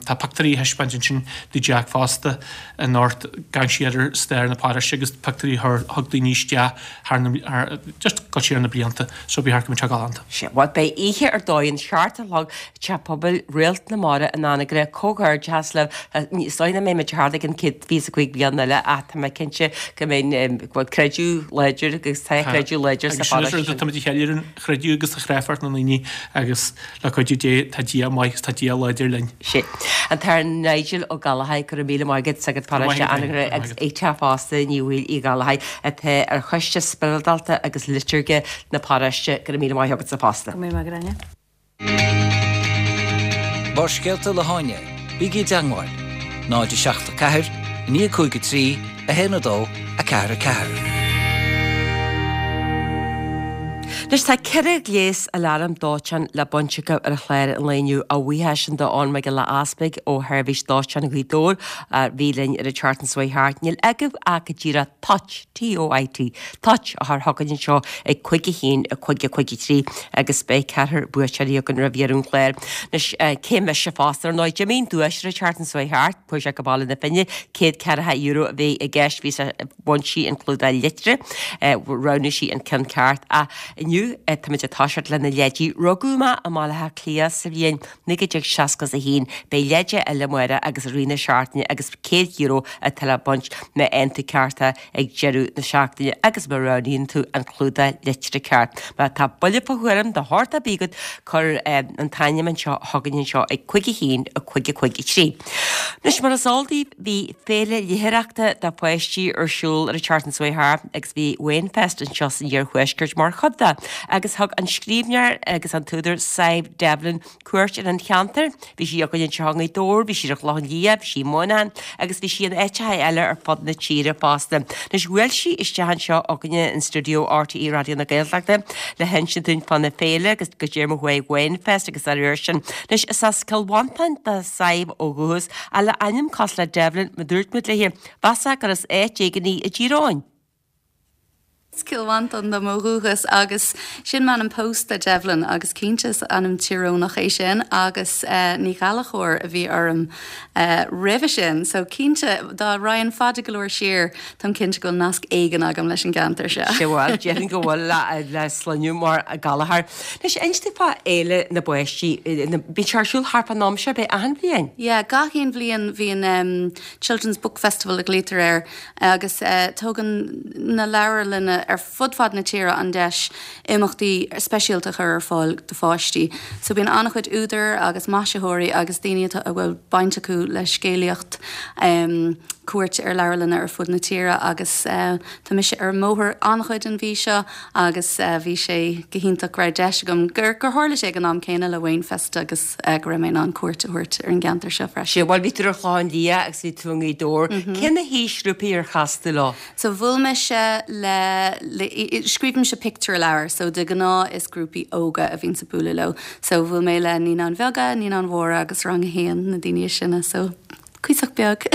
tá pictiúirí á thaispeáint ansin Tigh Jack fosta anocht, ag amharc siar ar stair na paróiste agus pictiúirí a thug daoine isteach thar na, just go siar na blianta so ba cheart go mbeadh sé galánta. Sea, bhuel, beidh oíche ar dóigh ann, seacht a chlog, Teach Pobail Réalt na Mara in Anagaire, comhghairdeachas libh. Is dóigh nach mbeidh muid thart ag an 125 bliain eile ach tá mé cinnte go mbeidh, go bhfuil creideamh láidir agus tá creideamh láidir sa pharóiste sin. Táimid ag ceiliúradh an chreideamh agus an chreidmheacht na ndaoine agus le cuidiú Dé tá Dia maith agus tá Dia láidir linn. Sea. An tAthair Nigel Ó Gallchóir, go raibh míle maith agat, sagart paróiste Anagaire agus Ita fosta, Ní Bhaoill Uí Ghallchóir, atá ar Choiste Spioradálta agus Liotúirge na paróiste, go raibh míle maith agatsa fosta. Go raibh míle maith agat, Áine. Barrscéalta le hÁine, bígí i dteangmháil, 0 7 4 9 5 3 1 2 4 4. Anois tá 4 ghléas aláram dóiteáin le baint acu ar an chlár an lae inniu. A bhuíochas sin d'Eoin Mac Giolla Easpaig ó Sheirbhís Dóiteáin Ghaoth Dobhair a bhí linn ar an tseachtain seo thart. Níl agaibh ach go díreach toit, T-O-I-T, toit a chur chugainn anseo ag 5 1 5 5 3 agus beidh ceathrar buaiteoirí againn roimh dheireadh an chláir. Anois, cé mise fosta, ar ndóigh, d'imigh an duais ar an tseachtain seo thart, chuaigh sé go Baile na Finne, €140 a bhí i gceist, bhí sé, bhain sí an clúdach litreach, roghnaigh sí an ceann ceart. Ach inniu, táimid ag toiseacht le na leidí. Rugadh mé i mBaile Átha Cliath sa bhliain 1961, beidh leide eile amárach agus i rith na seachtaine agus €100 atá le baint má fhaigheann tú ceart é ag deireadh na seachtaine agus má roghnaíonn tú an clúdach litreach ceart. Má tá buille fá thuairim de shórt ar bith agat, cuir an t-ainm anseo chugainn anseo ag 5 1 5 5 3. Anois mar is eol daoibh, bhí féile léitheoireachta do pháistí ar siúl. siúl ar an tseachtain seo chuaigh thart agus bhí Wainfest anseo san iarthuaisceart mar chuid de agus thug an scríbhneoir agus an t-údar Sadhbh Devlin cuairt ar an cheantar. Bhí sí againn anseo i nGaoth Dobhair, bhí sí ar an Chlochán Liath, bhí sí i Muineachán agus bhí sí in áiteacha eile ar fud na tíre fosta. Anois bhuail sí isteach anseo againne in stiúideo RTÉ Raidió na Gaeltachta le hinsint dúinn fána féile agus goidé mar a chuaigh Wainfest agus dá réir sin. Anois is as Cill Mhantáin do Sadhbh ó dhúchas ach le ainm cosúil le Devlin mar dúirt muid léi, mheasfá gur as áit éigin í i dTír Eoghain. As Cill Mhantáin dom ó dhúchas agus sin m'ainm pósta, Devlin, agus cinnte is ainm Tír Eoghanach é sin agus Ní Ghallchóir a bhí orm roimhe sin. So cinnte, dá raghainn fada go leor siar, táim cinnte go bhfuil nasc éigin agam leis an gceantar seo. Sea bhuel, déarfainn go bhfuil le sloinne mar Gallchóir. Anois, inis dúinn fá Fhéile na bPáistí, bíonn sé ar siúl thart fán am seo, ab ea, achan bhliain? Yeah, gach aon bhliain bhíonn Children's Book Festival a ghlaoitear air agus tógann na leabharlanna ar fud fad na tíre an deis imeachtaí speisialta a chur ar fáil do pháistí. So bíonn an-chuid údar agus maisitheoirí agus daoine atá, a bhfuil baint acu le scéalaíocht cuairt ar leabharlanna ar fud na tíre agus tá mise ar an mbóthar an-chuid an mhí seo agus bhí sé go hiontach go raibh deis agam, gur tharla sé ag an am céanna le Wainfest agus go raibh mé in ann cuairt a thabhairt ar an gceantar seo freisin. Sea, bhuel bhí tú ar an Chlochán Liath agus bhí tú i nGaoth Dobhair. Cé na haoisghrúpaí ar chas tú leo? So bhuail mise le, le, scríobhaimse pictiúrleabhair so de ghnáth is grúpaí óga a bhíonns ag bualadh leo. So bhuail mé le Naíonáin Bheaga, Naíonáin Mhóra agus Rang a hAon, na daoine is sine so cuíosach beag.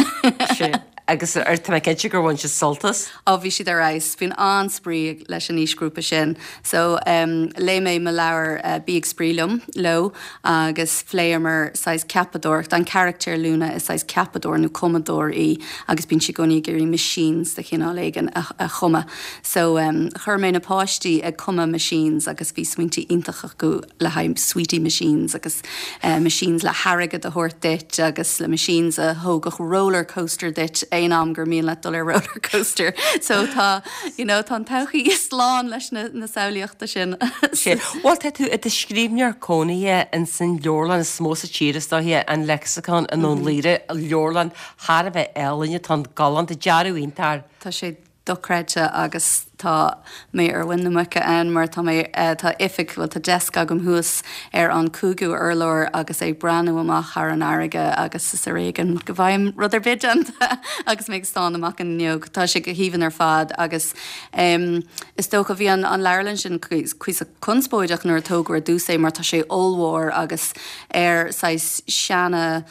Sea, agus tá mé cinnte gur bhain siad sult as. Á, bhí siad ar fheabhas. Bíonn an-spraoi leis an aoisghrúpa sin. So, léigh mé mo leabhar Bí ag Spraoi Liom leo agus phléamar saghas ceapadóireacht. An carachtar Luna is saghas ceapadóir nó cumadóir í agus bíonn sí i gcónaí ag iarraidh machines de chineál éigin a chumadh. So, chuir mé na páistí ag cumadh machines agus bhí smaointí iontacha acu le haghaidh sweetie machines agus machines le hairgead a thabhairt duit agus le machines a thógfadh roller coaster duit aon am gur mian leat dul ar roller coaster. So tá, you know, tá an todhchaí slán leis na, na samhlaíochta sin. Sea. Bhuel, tá tú i do scríbhneoir cónaithe ins an leabharlann is mó sa tír, is dóiche, an Lexicon i nDún Laoghaire, leabharlann thar a bheith álainn atá ann, galánta, dearadh iontach air. Tá sé dochreidte agus tá mé ar mhuin na muice ann mar tá mé, tá oifig, bhuel tá desk agam thuas ar an cúigiú urlár agus é ag breathnú amach thar an fharraige agus is ar éigean go bhfaighim rud ar bith déanta agus mé ag stánadh amach an fhuinneog. Tá sé go haoibhinn ar fad agus is dócha bhí an leabharlann sin cuíosach conspóideach nuair a tógadh ar dtús é mar tá sé ollmhór agus ar saghas seana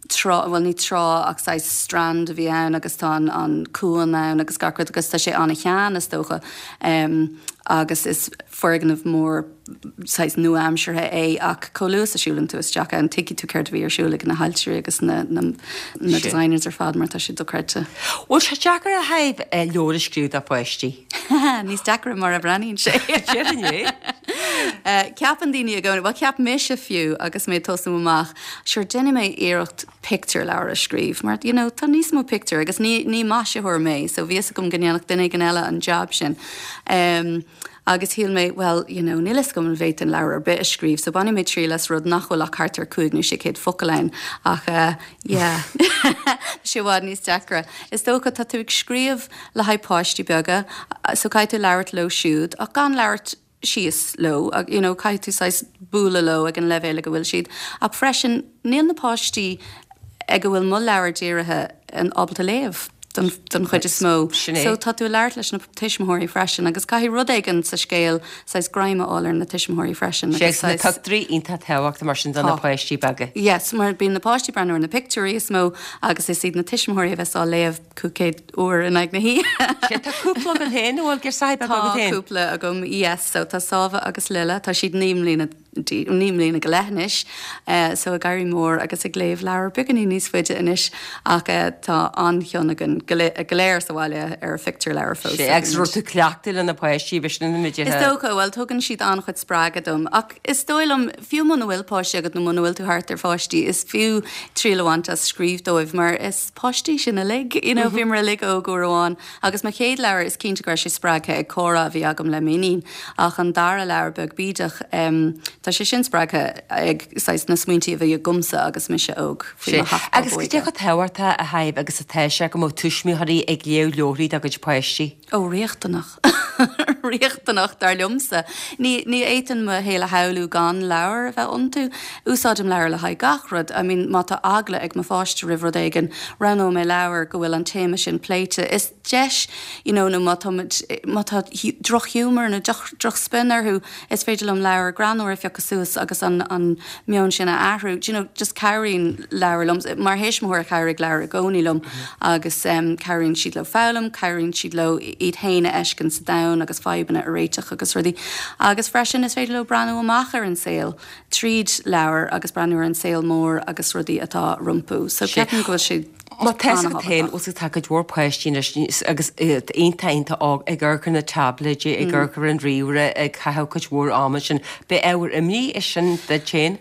trá, bhuel ní trá ach saghas strand a bhí ann agus tá an cuan ann agus gach rud agus tá sé an-shean is dócha agus is foirgneamh mór saghas nua-aimseartha é ach chomh luath is a siúlann tú isteach ann tuigfidh tú céard a bhí ar siúl ag na hailtirí agus na na designers ar fad mar tá sé dochreidte. Bhfuil sé deacair a Shadhbh leabhar a scríobh do pháistí? Níos deacra mar a bhreathnaíonn sé. Déarfainn é. Ceapann daoine i gcónaí, bhuel cheap mise fiú agus mé ag tosnú amach, Sure, déanfaidh mé iarracht pictiúrleabhar a scríobh mar, you know, tá níos mó pictiúr agus ní, ní maisitheoir mé so bhí fhios agam go ndéanfadh duine éigin eile an jab sin. Em, agus shíl mé, well, you know, níl fhios agam an bhféadfainn leabhar ar bith a scríobh so bainfidh mé triail as rud nach bhfuil ach thart ar 5 nó 600 focal ann ach eh, yeah, tá sé i bhfad níos deacra. Is dócha, tá tú ag scríobh le haghaidh páistí beaga so caithfidh tú labhairt leo siúd ach gan labhairt síos leo, you know, caithfidh tú saghas bualadh leo ag an leibhéal ag a bhfuil siad. Ach freisin, níl na páistí ag a bhfuil mo leabhar dírithe ábalta léamh don, don chuid is mó. Sin é. So tá tú ag labhairt leis na tuismitheoirí freisin agus caithfidh rud éigin sa scéal saghas greim a fháil ar na tuismitheoirí freisin Sé agus na saghas. pictiúirí iontach tábhachtach mar sin do na Tá. páistí beaga. Yes, mar bíonn na páistí ag breathnú ar na pictiúirí is mó agus is iad na tuismitheoirí a bheas á léamh 500 uair in aghaidh na hoíche. Sea, tá cúpla agat féin, an bhfuil girseachaí beaga agat Tá féin? cúpla agam, yes, so tá Sábha agus Lile, tá siad 9 mbliana, 9 mbliana go leith anois, so ag éirí mór agus ag léamh leabhar beagáinín níos faide anois ach tá an-chion againn go léir sa bhaile ar phictiúrleabhair fós. Sea, agus raibh tú cleachtaithe le na páistí, bhí sin ina Is dócha, bhuel, tugann siad an-chuid spreagadh dom ach is dóigh liom, fiú muna bhfuil páistí agat nó muna bhfuil tú thart ar pháistí, is fiú triail a bhaint as scríobh dóibh mar is páistí sinn uilig. You know, bhíomar uilig óg uair amháin agus mo chéad leabhar, is cinnte go raibh sé spreagtha ag comhrá a bhí agam le m'iníon ach an dara leabhar, Beag Bídeach, tá. Tá sé sin spreagtha ag saghas na smaointí a bhí agamsa agus mise óg faoi mo sheacht Agus cad é chomh tábhachtach a Shadhbh agus atá sé go mbeadh tuismitheoirí ag léamh leabharthaí dá gcuid páistí? Ó, riachtanach. Riachtanach, dar liomsa. Ní, ní fhéadfainn mo shaol a shamhlú gan leabhair a bheith iontu. Úsáidim leabhair le haghaidh gach rud. I mean, má tá eagla ag mo pháiste roimh rud éigin, roghnóidh mé leabhar go bhfuil an téama sin pléite. Is deis, you know, nó má tá muid, má tá drochghiúmar nó drochspion orthu, Is féidir liom leabhar greannmhar a phiocadh suas agus an an meon sin a athrú. Do you know, just cabhraíonn leabhair liom. Mar thuismitheoir chabhraigh leabhair i gcónaí liom agus cabhraíonn siad leo foghlaim, cabhraíonn siad leo iad féin a fheiscint sa domhan agus fadhbanna a réiteach agus rudaí. Agus freisin is féidir leo breathnú amach ar an saol tríd leabhar agus breathnú ar an saol mór agus rudaí atá rompu. So ceapaim go bhfuil sé Má tá fhios agat féin, bhfuil tá cuid mhór páistí anois agus iad iontach iontach óg ag amharc ar na táibléidí, ag amharc ar an ríomhaire, ag caitheamh cuid mhór ama ansin. Ab ábhar imní é sin duit féin?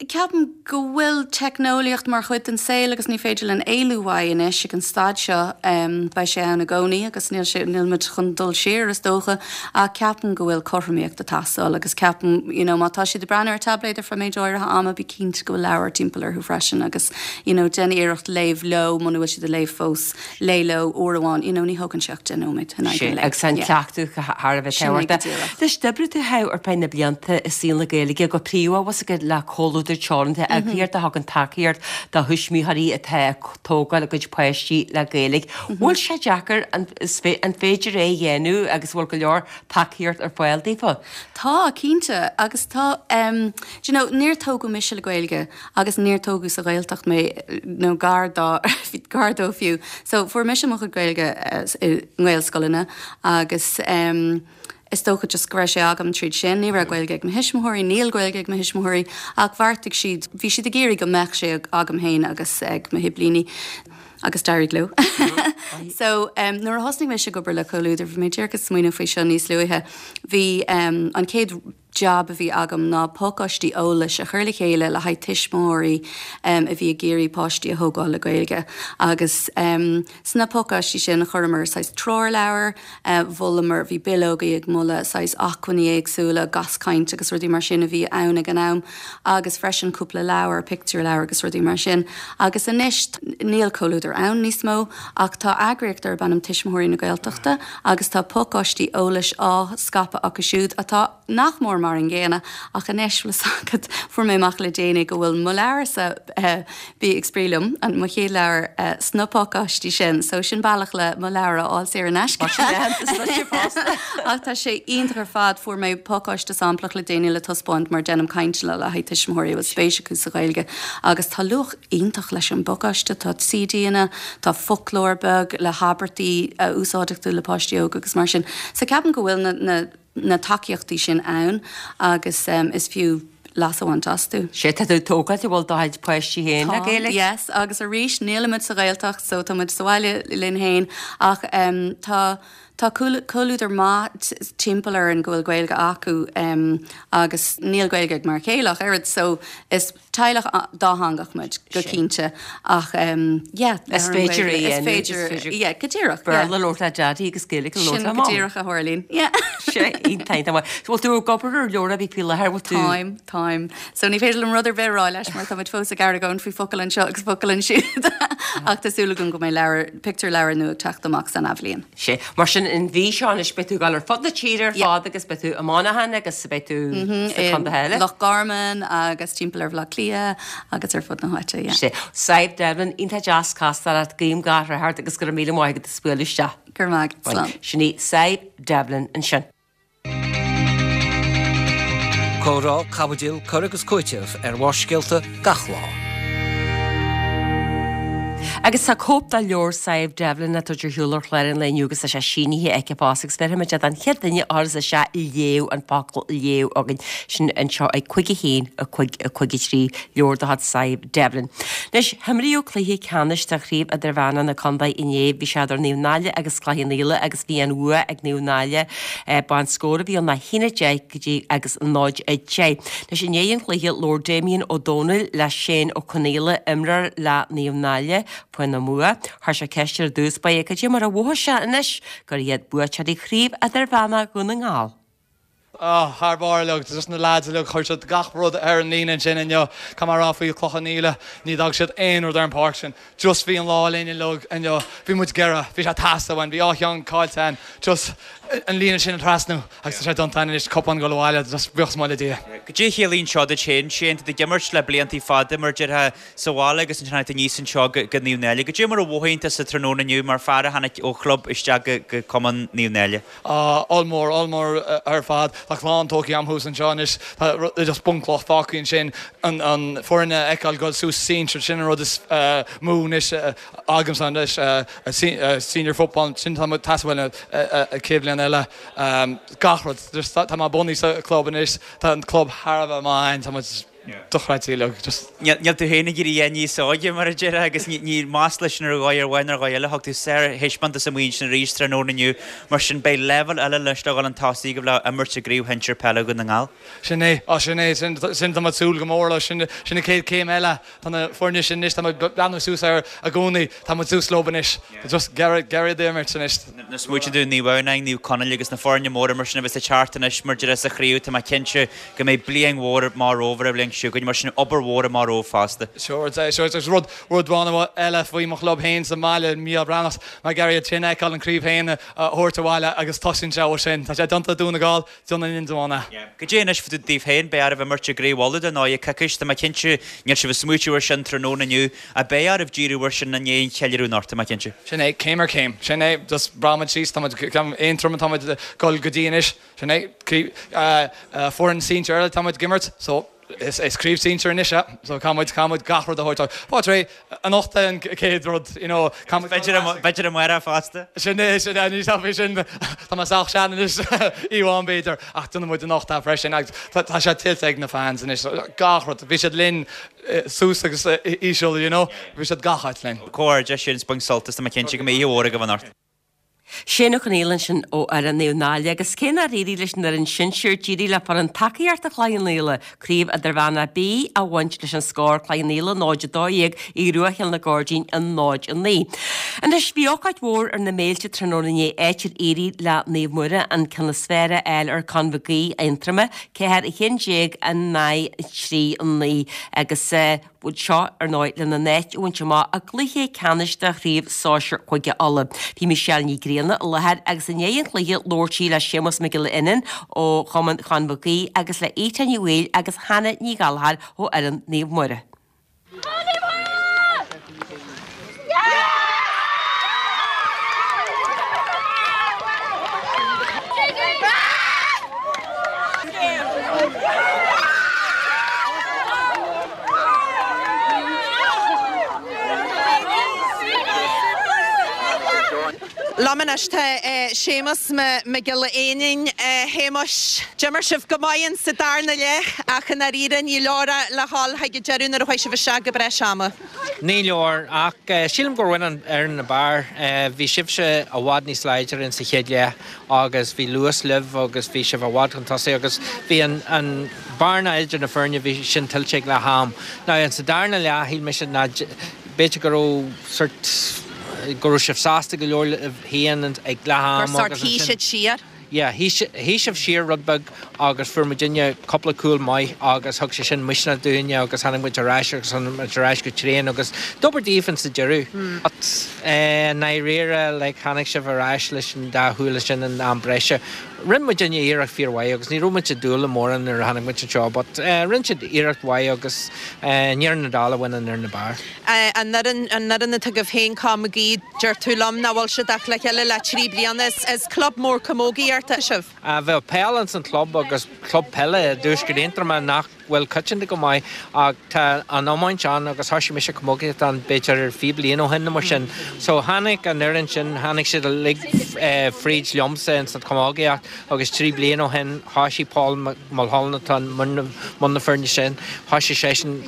Ceapaim go bhfuil teicneolaíocht mar chuid den saol agus ní féidir linn éalú uaidh anois ag an staid seo. Beidh sé ann i gcónaí agus níl sé, níl muid chun dul siar is dócha ach ceapaim go bhfuil cothromaíocht ag teastáil agus ceapaim, you know, má tá siad ag breathnú ar tabléid ar feadh méid áirithe ama, bí cinnte go bhfuil leabhar timpeall orthu freisin agus you know déan iarracht léamh leo muna bhfuil siad ag léamh fós, léigh leo uair amháin, you know ní thógann sé ach 10 nóiméad in aghaidh an lae. Agus an cleachtadh thar a bheith tábhachtach. Anois d'oibrigh tú ar feadh na blianta i saol na Gaeilge go príomha bhfuil fhios agat le Comhluadar Teoranta, eagraíocht a thugann tacaíocht do thuismitheoirí atá ag tógáil a gcuid páistí le Gaeilge. Bhfuil sé deacair, an féidir é a dhéanamh agus bhfuil go leor tacaíocht ar fáil daofa? Tá, cinnte, agus tá, do you know, níor tógadh mise le Gaeilge agus níor tógadh sa Ghaeltacht mé, nó gar dá, gar dó fiú. So, fuair mise mo chuid Gaeilge i nGaelscoileanna agus is dócha just go raibh sé agam tríd sin. Ní raibh Gaeilge ag mo thuismitheoirí, níl Gaeilge ag mo thuismitheoirí ach bheartaigh siad, bhí siad ag iarraidh go mbeadh sé agam féin agus ag mo shiblíní. agus d'éirigh leo. So, nuair a thosnaigh mise ag obair le Comhluadar, bhí mé díreach ag smaoineamh faoi seo níos luaithe, bhí an chéad jab a bhí agam ná pacáistí eolais a chur le chéile le haghaidh tuismitheoirí a bhí ag iarraidh páistí a thógáil le Gaeilge. Agus sna pacáistí sin chuireamar saghas treoirleabhar, mholamar, bhí bileogaí ag moladh saghas acmhainní éagsúla, gaschaint agus rudaí mar sin a bhí ann ag an am agus freisin cúpla leabhar, pictiúrleabhar agus rudaí mar sin. Agus anois níl Comhluadar ann níos mó ach tá eagraíocht darb ainm Tuismitheoirí na Gaeltachta agus tá pacáistí eolais á scaipeadh acu siúd atá nach mór mar an gcéanna ach anois, bhfuil fhios agat, fuair mé amach le déanaí go bhfuil mo leabharsa, Bí ag Spraoi Liom, mo chéad leabhar, sna pacáistí sin. So sin bealach le mo leabhar a fháil saor in aisce. Tá sin aitheantas duitse fosta. Ach tá sé iontach ar fad. Fuair mé pacáiste samplach le déanaí le taispeáint mar déanaim cainteanna le haghaidh tuismitheoirí a bhfuil spéis acu sa Ghaeilge agus tá luach iontach leis an bpacáiste. Tá CDanna, tá foclóir beag le habairtí a úsáidfeadh tú le páistí óga agus mar sin. So ceapaim go bhfuil na, na, na tacaíochtaí sin ann agus is fiú leas a bhaint astu. Sea, tá tú ag tógáil an bhfuil do chuid páistí féin le Tá, Gaeilge? yes, agus arís nílimid sa Ghaeltacht so tá muid sa bhaile linn féin ach tá tá comhluadar maith timpeall orainn go bhfuil Gaeilge acu agus níl Gaeilge ag m'fhear céile ach oiread so is Teaghlach dátheangach muid, go cinnte, ach yeah, Is féidir é a dhéanamh, is féidir, yeah, go díreach, yeah. Béarla a labhairt le Daddy agus Gaeilge a labhairt le Mom. Sin go díreach a tharlaíonn, yeah. Sea, iontach, iontach maith. So bhfuil tú ag obair ar leabhar ar bith faoi láthair, bhfuil tú? Táim, táim. So ní féidir liom rud ar bith a rá leis mar tá muid fós ag argóint faoi focal anseo agus focal ansiúd ach tá súil agam go mbeidh leabhar, pictiúrleabhar nua ag teacht amach san athbhliain. Sea. Mar sin, an mhí seo anois, beidh tú ag dul ar fud na tíre ar fad agus beidh tú i Monaghan agus beidh tú sna contaetha eile. Loch Garman agus timpeall ar Bhaile Átha Cliath agus ar fud na háite, yeah. Sea. Sadhbh Devlin, iontach deas castáil leat, guím gach rath ort agus go raibh míle maith agat as bualadh isteach. Go raibh maith agat. Slán. Sin í Sadhbh Devlin ansin. Comhrá, caibidil, cur agus cúiteamh ar Bharrscéalta gach lá. Agus tá cóip de leabhar Sadhbh Devlin á tabhairt ar shiúl ar chlár an lae inniu agus tá sé sínithe aici fosta agus bhéarfaimid é don chéad duine a chuireas isteach 'léamh' an focal 'léamh' chugainn sin anseo ag 5 1 5 5 3 leabhar de chuid Sadhbh Devlin. Anois, himríodh cluiche ceannais de Chraobh Idirmheánach na Contae inné. Bhí sé idir Naomh Náille agus Cloich Cheann Fhaola agus bhí an bhua ag Naomh Náille. B'é an scór a bhí ann ná 1-10 go dtí agus 0-10. Anois, i ndiaidh an chluiche, labhair Damien Ó Dónaill le Shane Ó Conaola, imreoir le Naomh Náille, faoina mbua. Chuir sé ceist air i dtús báire cad é mar a mhothaigh sé anois gur iad buaiteoirí Chraobh Idirmheánach Dhún na nGall. Oh, thar barr uilig, just na lads uilig, chuir siad gach rud ar an líne ansin inniu. Caithfidh mé a rá faoi Cloich Cheann Fhaola, ní d'fhág siad aon rud ar an páirc sin. Just bhí an lá linn uilig inniu. Bhí muid ag iarraidh, bhí sé ag teastáil uainn, bhí dhá cheann caillte againn. Just an líne sin a thrasnú agus tá sé déanta againn anois, cupán ag dul abhaile, just buíochas mór le Dia. Goidé a chiallaíonn seo duit féin, Shane? Tá tú ag imirt le bliantaí fada mar a déarfá sa bhaile agus ansin tháinig tú aníos anseo go Naomh Náille. Goidé mar a mhothaíonn tusa tráthnóna inniu mar fear a tháinig ó chlub isteach go Cumann Naomh Náille? Ah, ollmhór, ollmhór ar fad. Tá clann tógtha agam thuas anseo anois. Tá just bunchloch fágtha ansin. An foireann a fheiceáil dul suas sinsir, sin an rud is mó anois agamsa anois. Senior football, sin tá muid teastaíonn uainn an chéad bhliain eile. Gach rud. Just tá mé bunaithe sa club anois. Tá an club thar a bheith maith againn. Tá muid. dochreidte uilig, just. Níl tú féin ag éirí a dhath níos óige, mar a déarfá, agus ní masla sin ar dhóigh ar mhaith nó ar dhóigh eile. Thug tú sárthaispeántas amuigh ansin arís tráthnóna inniu. Mar sin, beidh leibhéal eile anois le dhul chun tosaigh agaibh le imirt i gCraobh Shinsir Peile Dhún na nGall. Sin é, á sin é, sin, sin tá muid ag súil go mór leis, sin, sin an chéad chéim eile. Tá na foirne sin anois, tá muid ag breathnú suas air i gcónaí, tá muid suas leo anois. Just ag iarraidh imirt anois. Nuair a smaoitíonn tú Naomh Adhamhnáin, Naomh Conaill agus na foirne móra mar sin a bheas ag teacht anois mar a déarfá sa chraobh, tá mé cinnte go mbeidh bliain mhór amach romhaibh ar an bhliain seo chugainn, mar sin obair mhór amach romhaibh fosta. Sure, sure, agus rud, rud amháin eile faoi mo chlub féin sa mbaile, Mícheál Breathnach, mé ag iarraidh iad sin a fheiceáil an craobh féin a thabhairt abhaile agus tosaíonn sé ó sin. Tá sé déanta i Dún na Gall, Déanann Indreabhán é. Goidé anois fá dtaobh féin, beidh oraibh imirt i gCraobh Uladh dar ndóigh i gcoicís, tá mé cinnte, níl sibh ag smaoitiú ar sin tráthnóna inniu, ach beidh oraibh díriú ar sin i ndiaidh an cheiliúradh anocht, tá mé cinnte. Sin é, céim ar chéim. Sin é, just breathnaíonn muid síos, tá muid, Aontroim atá muid ag dul go dtí anois, sin é, foireann sinsir eile atá muid ag imirt, so is craobh sinsir anois é, so caithfidh muid, caithfidh muid gach rud a thabhairt. Fáilte réidh, anocht é an chéad rud, you know, caithfidh muid. B'fhéidir amárach fosta. Sin é, sin é, ní faoi sin, tá mé sách sean anois, fiú amháin b'fhéidir, ach déanfaidh muid anocht é freisin agus tá sé tuillte ag na fans anois, gach rud, bhí siad linn suas agus íseal, you know, bhí siad gach áit linn. Comhghairdeas, Shane, 's bain sult as, tá mé cinnte go mbeidh oíche mhór agaibh anocht. Shane Ó Conghaile ansin ó fhoireann Naomh Náille agus cé nár éirigh leis an fhoireann sinsir d'éirigh le foireann tacaíochta Chloich Cheann Fhaola Craobh Idirmheánach B a bhaint leis an scór Cloich Cheann Fhaola 0-12, Aodh Rua Chill na Gairdín 0-9. Anois bhí ócáid mhór ar na béilte tráthnóna inné áit ar éirigh le Naomh Muire an ceann is fearr a fháil ar Con Mhig Aoidh, Aontroma, 4 11 in aghaidh 3 9 agus bhuel seo, ar ndóigh, lena n-áit a bhaint amach i gcluiche ceannais de Chraobh Sóisir Chúige Uladh. Bhí Michelle Ní Ghrianna i láthair agus i ndiaidh an chluiche labhair sí le Séamus Mac Giolla Fhionáin ó Chumann Chon Mhig Aoidh agus le Ita Ní Bhaoill agus Hannah Ní Ghallchóir ó fhoireann Naomh Muire. Liom anois tá Séamus Mac Giolla Fhionáin. A Shéamuis, d'imir sibh go maith in sa darna leath ach i ndáiríre ní leor é le dhul chuig an deireadh nuair a chuaigh sibh isteach go breis ama. Ní leor, ach sílim gur bhain an fhoireann ab fhearr. Bhí sibhse i bhfad níos láidre in sa chéad leath agus bhí luas libh agus bhí sibh i bhfad chun tosaigh agus bhí an bearna idir na foirne, bhí sin tuillte ag leath am. Now in sa darna leath, shíl mise ná b'fhéidir go raibh sort, go raibh sibh sásta go leor libh féin ag leath am Gur sort shuigh siad siar. Yeah, shuigh sibh siar rud beag agus fuair muidinne cúpla cúl maith agus thug sé sin misneach dúinne agus tháinig muid ar ais agus tháinig muid ar ais go tréan agus d'obair daoibh in sa deireadh. But i ndáiríre like tháinig sibh ar ais leis an dá chúl sin in am breise. Rinne muidinne iarracht fíor mhaith agus ní raibh muid ag dúil le mórán nuair a tháinig muid anseo but rinne siad iarracht mhaith agus i ndeireadh na dála bhain an fhoireann ab fhearr. An fhoireann, an fhoireann atá agaibh féin, Con Mhig Aoidh, deir tú liom nach bhfuil siad ach le chéile le 3 bliana. Is club mór camógaíochta sibh. Bheadh peil ins an chlub agus club peile i dtuaisceart Aontroma nach bhfuil coitianta go maith ach tá an iomáint ann agus thoisigh mise camógaíocht ann b'fhéidir 20 bliain ó shin nó mar sin. So tháinig an fhoireann sin, tháinig siad uilig fríd liomsa ins an chamógaíocht agus 3 bliana ó shin thoisigh Paul Mulholland atá i mbun na foirne sin, thoisigh seisean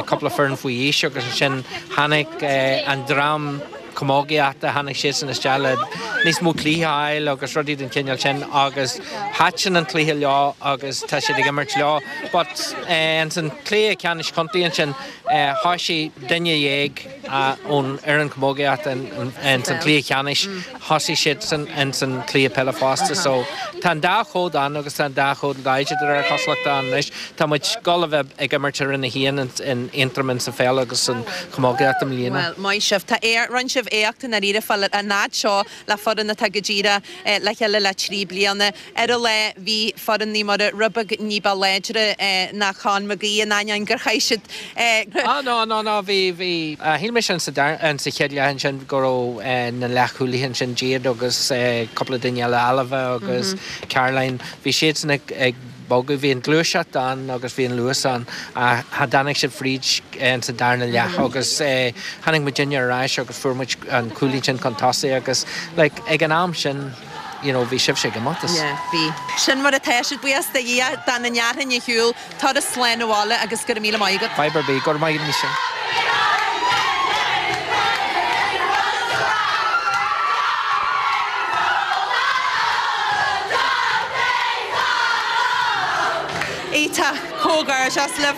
cúpla foireann faoi aois agus ansin tháinig an dream camógaíochta, tháinig siadsan isteach le níos mó cluichí a fháil agus rudaí den chineál sin agus thaitin an cluiche leo agus tá siad ag imirt leo. But ins an cluiche ceannais contae ansin, thoisigh duine dhéag. Ón fhoireann camógaíochta in san cluiche ceannais, thosaigh siadsan in san cluiche peile fosta. So tá an dá chód ann agus tá an dá chód láidir de réir cosúlachta ann anois. Tá muid ag dul a bheith ag imirt i Roinn 1 in Aontroim in sa pheil agus san chamógaíocht i mbliana. Bhuel, maith sibh. Tá, rinne sibh éacht i ndáiríre fáil an fhad seo le foireann atá go díreach le chéile le 3 bliana. Ar an lá bhí foireann Naomh Muire rud beag ní ba láidre ná Con McGee in ainneoin gur chaith siad. Ah no no no bhí bhí shíl mise in sa dara in sa chéad leath ansin go raibh na leathchúlaithe ansin Jade agus cúpla duine eile Ailbhe agus Caroline bhí siadsan ag ag bogadh bhí an gluaiseacht ann agus bhí an luas ann ach cha dtáinig siad fríd in sa darna leath agus tháinig muidinne ar ais agus fuair muid an cúilín sin chun tosaigh agus like ag an am sin you know, bhí sibhse ag imeacht is. Yeah, bhí. Sin mar atá siad, buíochas do Dhia, dá ndéarfainn a shiúl, turas slán abhaile agus go raibh míle maith agat. Fadhb ar bith, go raibh maith agat Michelle. Iontach, comhghairdeas libh.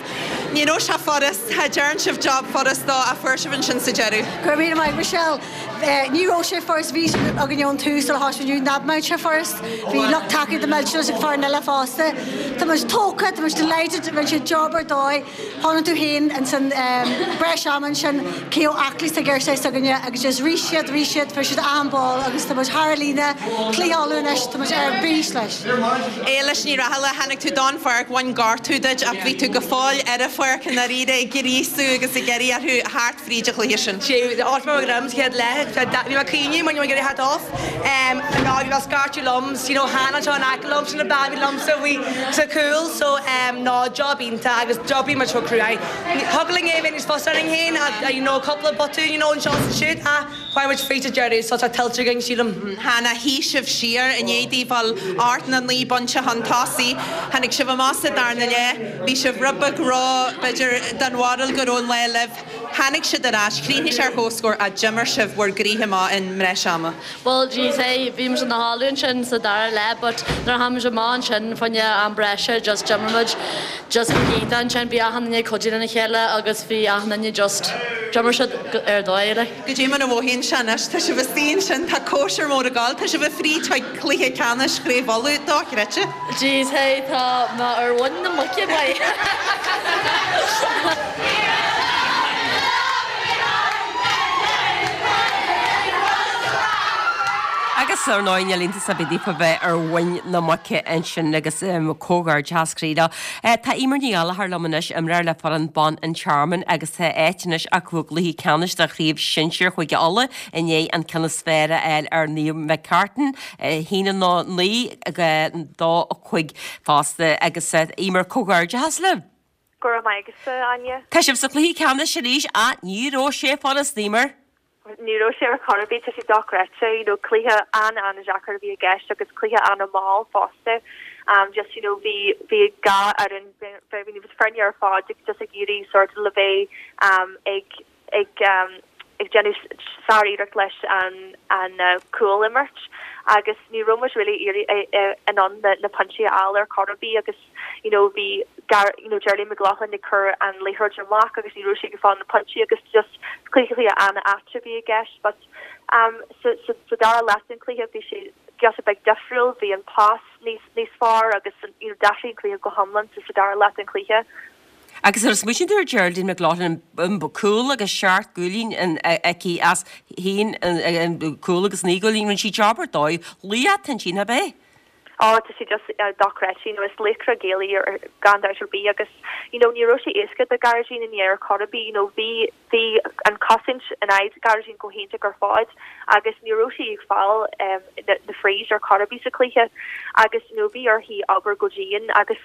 Ní raibh sé furast, cha dtearn sibh job furast dó ach fuair sibh ansin sa deireadh. Go raibh míle maith, Michelle. Ní raibh sé furast, bhí a fhios againn ón tús sular thosaigh muid nach mbeadh sé furast. Bhí lucht tacaíochta millteanach ag foireann eile fosta. Tá muid tógtha, tá muid delighted, rinne siad job ar dóigh. Chonaic tú féin ins an breis ama ansin cé chomh aclaí is atá girsí s'againne agus just rith siad, rith siad, fuair siad achan ball agus tá muid thar an líne, cluiche Uladh anois, tá muid ar bís leis. Éilis Ní Rathaille, tháinig tú don pháirc, bhain gortú duit ach bhí tú go fóill ar an pháirc i ndáiríre ag gríosú agus ag iarraidh orthu theacht fríd an chluiche sin. Sé áit mar ghrm sa chéad leath, bhí mé ag caoineadh mar ní raibh mé ag iarraidh theacht off. Ná bhí mé ag scairteadh liom, you know Hannah anseo in aice liom, sin an bean a bhí liomsa bhí sa chúl so ná job iontach agus d'oibrigh muid chomh cruaidh. Thiocfadh linn é a bheith níos fusa orainn féin ach you know cúpla botún you know anseo is ansiúd ach chuaigh muid fríd sa deireadh so tá tuillte againn sílim. Hannah, shuigh sibh siar i ndiaidh daoibh fáil ocht nó 9 bpointe chun tosaigh. Tháinig sibh amach sa darna leath. Bhí sibh rud beag ró, b'fhéidir, den bharúil go raibh an lá libh. Tháinig siad ar ais, chríochnaigh sé ar comhscór ach d'imir sibh bhur gcroíthe amach i mbreis ama. Bhuel, jeez, hey, bhí muid ina chodladh ansin sa dara leath but nuair a tháinig muid amach ansin fá choinne am breise just d'imir muid just go hiontach ansin. Bhí achan duine ag cuidiú lena chéile agus bhí achan duine just, d'imir siad ar dóigh like. Goidé mar a mhothaíonn sé anois? Tá sibh istigh ansin, tá cóisir mór ag gabháil, tá sibh fríd chuig cluiche ceannais Chraobh Uladh, dochreidte. Jeez, hey, tá mé ar mhuin na muice, boy. Agus ar ndóigh níl iontas ar bith daofa bheith ar mhuin na muice ansin agus comhghairdeas croí leo. Tá Eimear Ní Ghallchóir liom anois, imreoir le foireann Ban an Tearmainn agus tá áit anois acu i gcluiche ceannais de Chraobh Shinsir Chúige Uladh i ndiaidh an ceann is fearr a fháil ar Naomh McCartan, 1, 9 go 2, 5 fosta. Agus Eimear, comhghairdeas libh! Go raibh maith agatsa, Áine. Tá sibh sa chluiche ceannais arís ach ní raibh sé furast, Eimear. Ní raibh sé ar chor ar bith, tá sé dochreidte, you know, cluiche an-an-deacair a bhí i gceist agus cluiche an-mhall fosta. Um, just, you know, bhí, bhí gach fhoireann, bhí na foirne ar fad just ag iarraidh sort of le bheith um, ag, ag, um, ag déanamh sár-iarracht leis an, an uh, cúl imirt agus ní raibh muid really iarraidh in ann na, na pointí a fháil ar chor ar bith agus you know bhí Gar you know Geraldine McLaughlin ag cur an liathróid amach agus ní raibh sí ag fáil na pointí agus just cluiche cluiche an-ait a bhí i gceist but um sa sa sa dara leath den chluiche bhí sé giota beag difriúil bhí an pas níos níos fearr agus you know d'athraigh an cluiche go hiomlán sa sa dara leath den chluiche. Agus nuair a smaoiníonn tú ar Geraldine McLaughlin cúl agus seacht gcúilín aici as haon cúl agus naoi gcúilín rinne sí job ar dóigh laoch ansin ab é? Á, tá sé just dochreidte, you know, is laochra Gael í ar gan dabht ar bith agus, you know, ní raibh sé éasca do Gearóidín inné ar chor ar bith, you know, bhí, bhí an chosaint in aghaidh Gearóidín go hiontach ar fad agus ní raibh sí ag fáil na, na frees ar chor ar bith sa chluiche agus, you know, bhí uirthi obair go dian agus,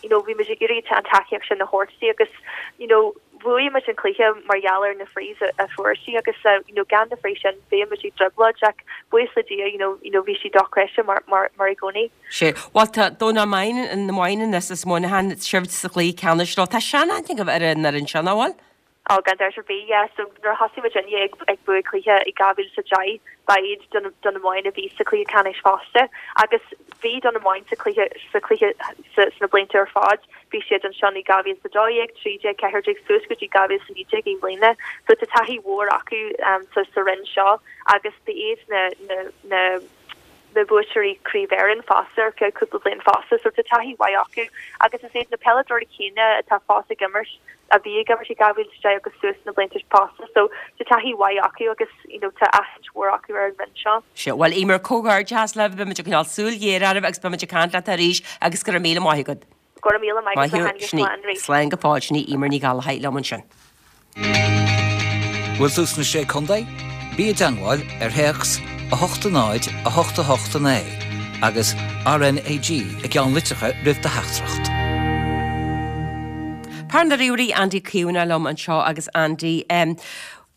you know, bhí muid ag iarraidh an tacaíocht sin a thabhairt di agus, you know, bhuaigh muid an cluiche mar gheall ar na frees a fuair sí agus, you know, gan na frees sin bheadh muid i dtrioblóid ach buíochas le Dia, you know, you know, bhí sí dochreidte mar, mar, mar i gcónaí. Sea, bhuel tá Domhnach Maighin, na Maighin as Muineachán, sibh sa chluiche ceannais leo. Tá sean-aithne agaibh ar an fhoireann sin, an bhfuil? Ó, gan dabht ar bith, yeah. So nuair a thosaigh muidinne ag ag buaigh cluiche i 2010, ba iad Dún Dún na Móine a bhí sa chluiche ceannais fosta. Agus bhí Dún na Móine sa chluiche sa chluiche sa sna blianta ar fad. Bhí siad ansin i 2012, 13, 14 suas go dtí 2019 i mbliana. So tá taithí mhór acu um sa sa roinn seo agus ba iad na na na na buaiteoirí Craobh Éireann fosta ar feadh cúpla bliain fosta so tá taithí mhaith acu agus is iad na peileadóirí céanna atá fós ag imirt a bhí ag imirt i 2010 agus suas na blianta fosta so tá taithí mhaith acu agus you know tá aithint mhór acu ar an roinn seo. Sea, bhuel Eimear, comhghairdeachas libh, beimid ag coinneáil súil ghéar oraibh agus beimid ag caint leat arís agus go raibh míle maith agat. Go raibh míle maith agat a Áine, slán arís. Slán go fóill, sin í Eimear Ní Ghallchóir liom ansin. Bhfuil tú sna Sé Contae? Bí i dteangmháil ar théacs 8 0 8 8 9 agus RNAG i gceannlitreacha roimh do theachtaireacht. Fear na ríomhairí Andy Caomhánach liom anseo agus Andy,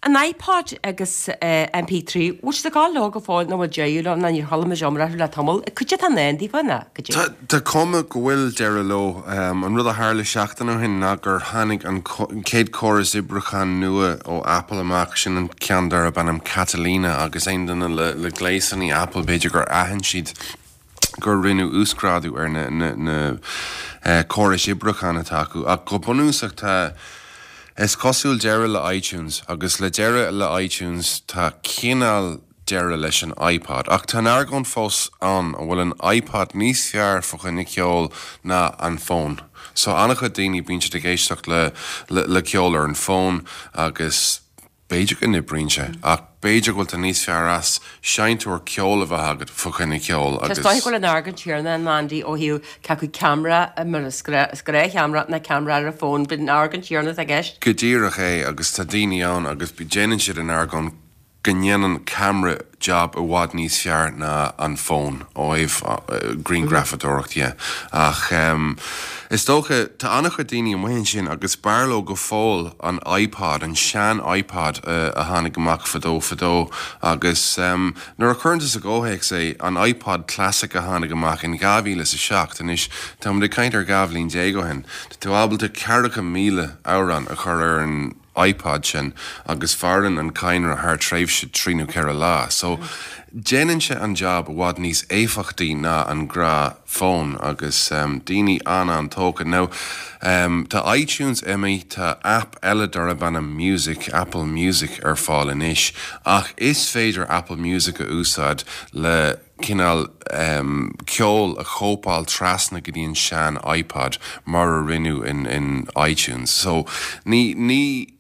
An iPod agus MP3, bhfuil siad ag gabháil leo go fóill nó bhfuil deireadh leo nó níor chuala muid iomrá orthu le tamall? Cad é atá i ndán daofa nó cad é? Tá cuma go bhfuil deireadh leo. An rud a tharla seachtain ó shin ná gur tháinig an chéad chóras oibriúcháin nua ó Apple amach, sin an ceann darb ainm Catalina agus aon duine le gléasanna Apple b'fhéidir gur aithin siad gur rinneadh uasghrádú ar na córais oibriúcháin atá acu. Ach go bunúsach tá, is cosúil, deireadh le iTunes. Agus le deireadh le iTunes tá cineál deireadh leis an iPod. Ach tá an argóint fós ann an bhfuil an iPod níos fearr fá choinne ceoil ná an fón. So an-chuid daoine bíonn siad ag éisteacht le le ceol ar an bhfón agus B'fhéidir go n-oibríonn sé, ach b'fhéidir go bhfuil tú níos fearr as seinnteoir ceoil a bheith agat fá choinne ceoil agus. Is dóigh go bhfuil an argóint chéanna ann, Andy, ó thaobh cé acu ceamara, mar is gnáthcheamara nó ceamara ar an bhfón, bíonn an argóint chéanna atá i gceist. Go díreach é, agus tá daoine ann agus déanann siad an argóint go ndéanann ceamara jab i bhfad níos fearr ná an fón ó thaobh grianghrafadóireacht dhe. Ach is dócha, tá an-chuid daoine amuigh ansin agus b'fhearr leo go fóill an iPod, an sean iPod a tháinig amach fadó fadó agus nuair a chuireann tú sa gcomhthéacs é, an iPod Classic a tháinig amach in 2007, anois táimid ag caint ar 12 bhliain ó shin, tá tú ábalta 40,000 amhrán a chur ar an iPod sin agus mhaireann an cadhnra thar tréimhse trí nó ceithre lá. So, déanann sé an job i bhfad níos éifeachtaí ná an gnáth fón agus daoine an-an-tógtha. Now, tá iTunes imithe, tá app eile darb ainm Music, Apple Music ar fáil anois ach is féidir Apple Music a úsáid le cineál ceol a chóipeáil trasna go dtí an sean iPod mar a rinneadh in in iTunes. So ní ní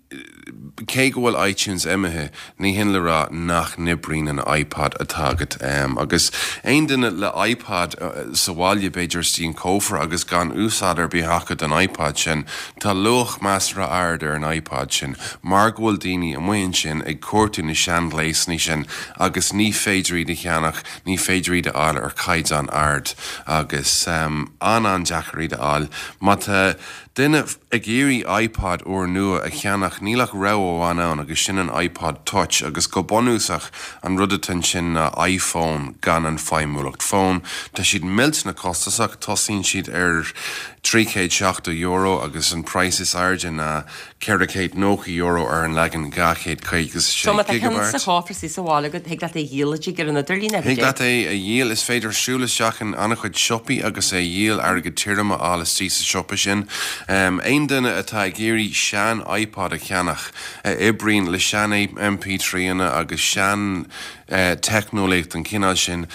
cé go bhfuil iTunes imithe, ní hin le rá nach n-oibríonn an iPod atá agat. Agus aon duine le iPod sa bhaile b'fhéidir istigh in cófra agus gan úsáid ar bith acu don iPod sin, tá luach measartha ard ar an iPod sin mar go bhfuil daoine amuigh ansin ag cuartú na seanghléasanna sin agus ní féidir iad a cheannach, ní féidir iad a fháil ar chaighdeán ard agus an-an-deacair iad a fháil. Má tá duine ag iarraidh iPod úrnua a cheannach, níl ach rogha amháin ann agus sin an iPod Touch agus go bunúsach an rud atá ansin ná iPhone gan an feidhmiúlacht fóin. Tá siad millteanach costasach, tosaíonn siad ar €370 agus an praghas is airde ná €490 ar an leagan 256 So má tá ceann sa chófra is sa bhaile agat, thig leat é a dhíol istigh ar an idirlíon, Thig leat é a dhíol. Is féidir siúl isteach in an-chuid siopaí agus é a dhíol, airgead tirim a fháil istigh sa siopa sin. Aon duine atá ag iarraidh sean iPod a cheannach, a oibríonn le sean MP3anna agus sean teicneolaíocht den chineál sin,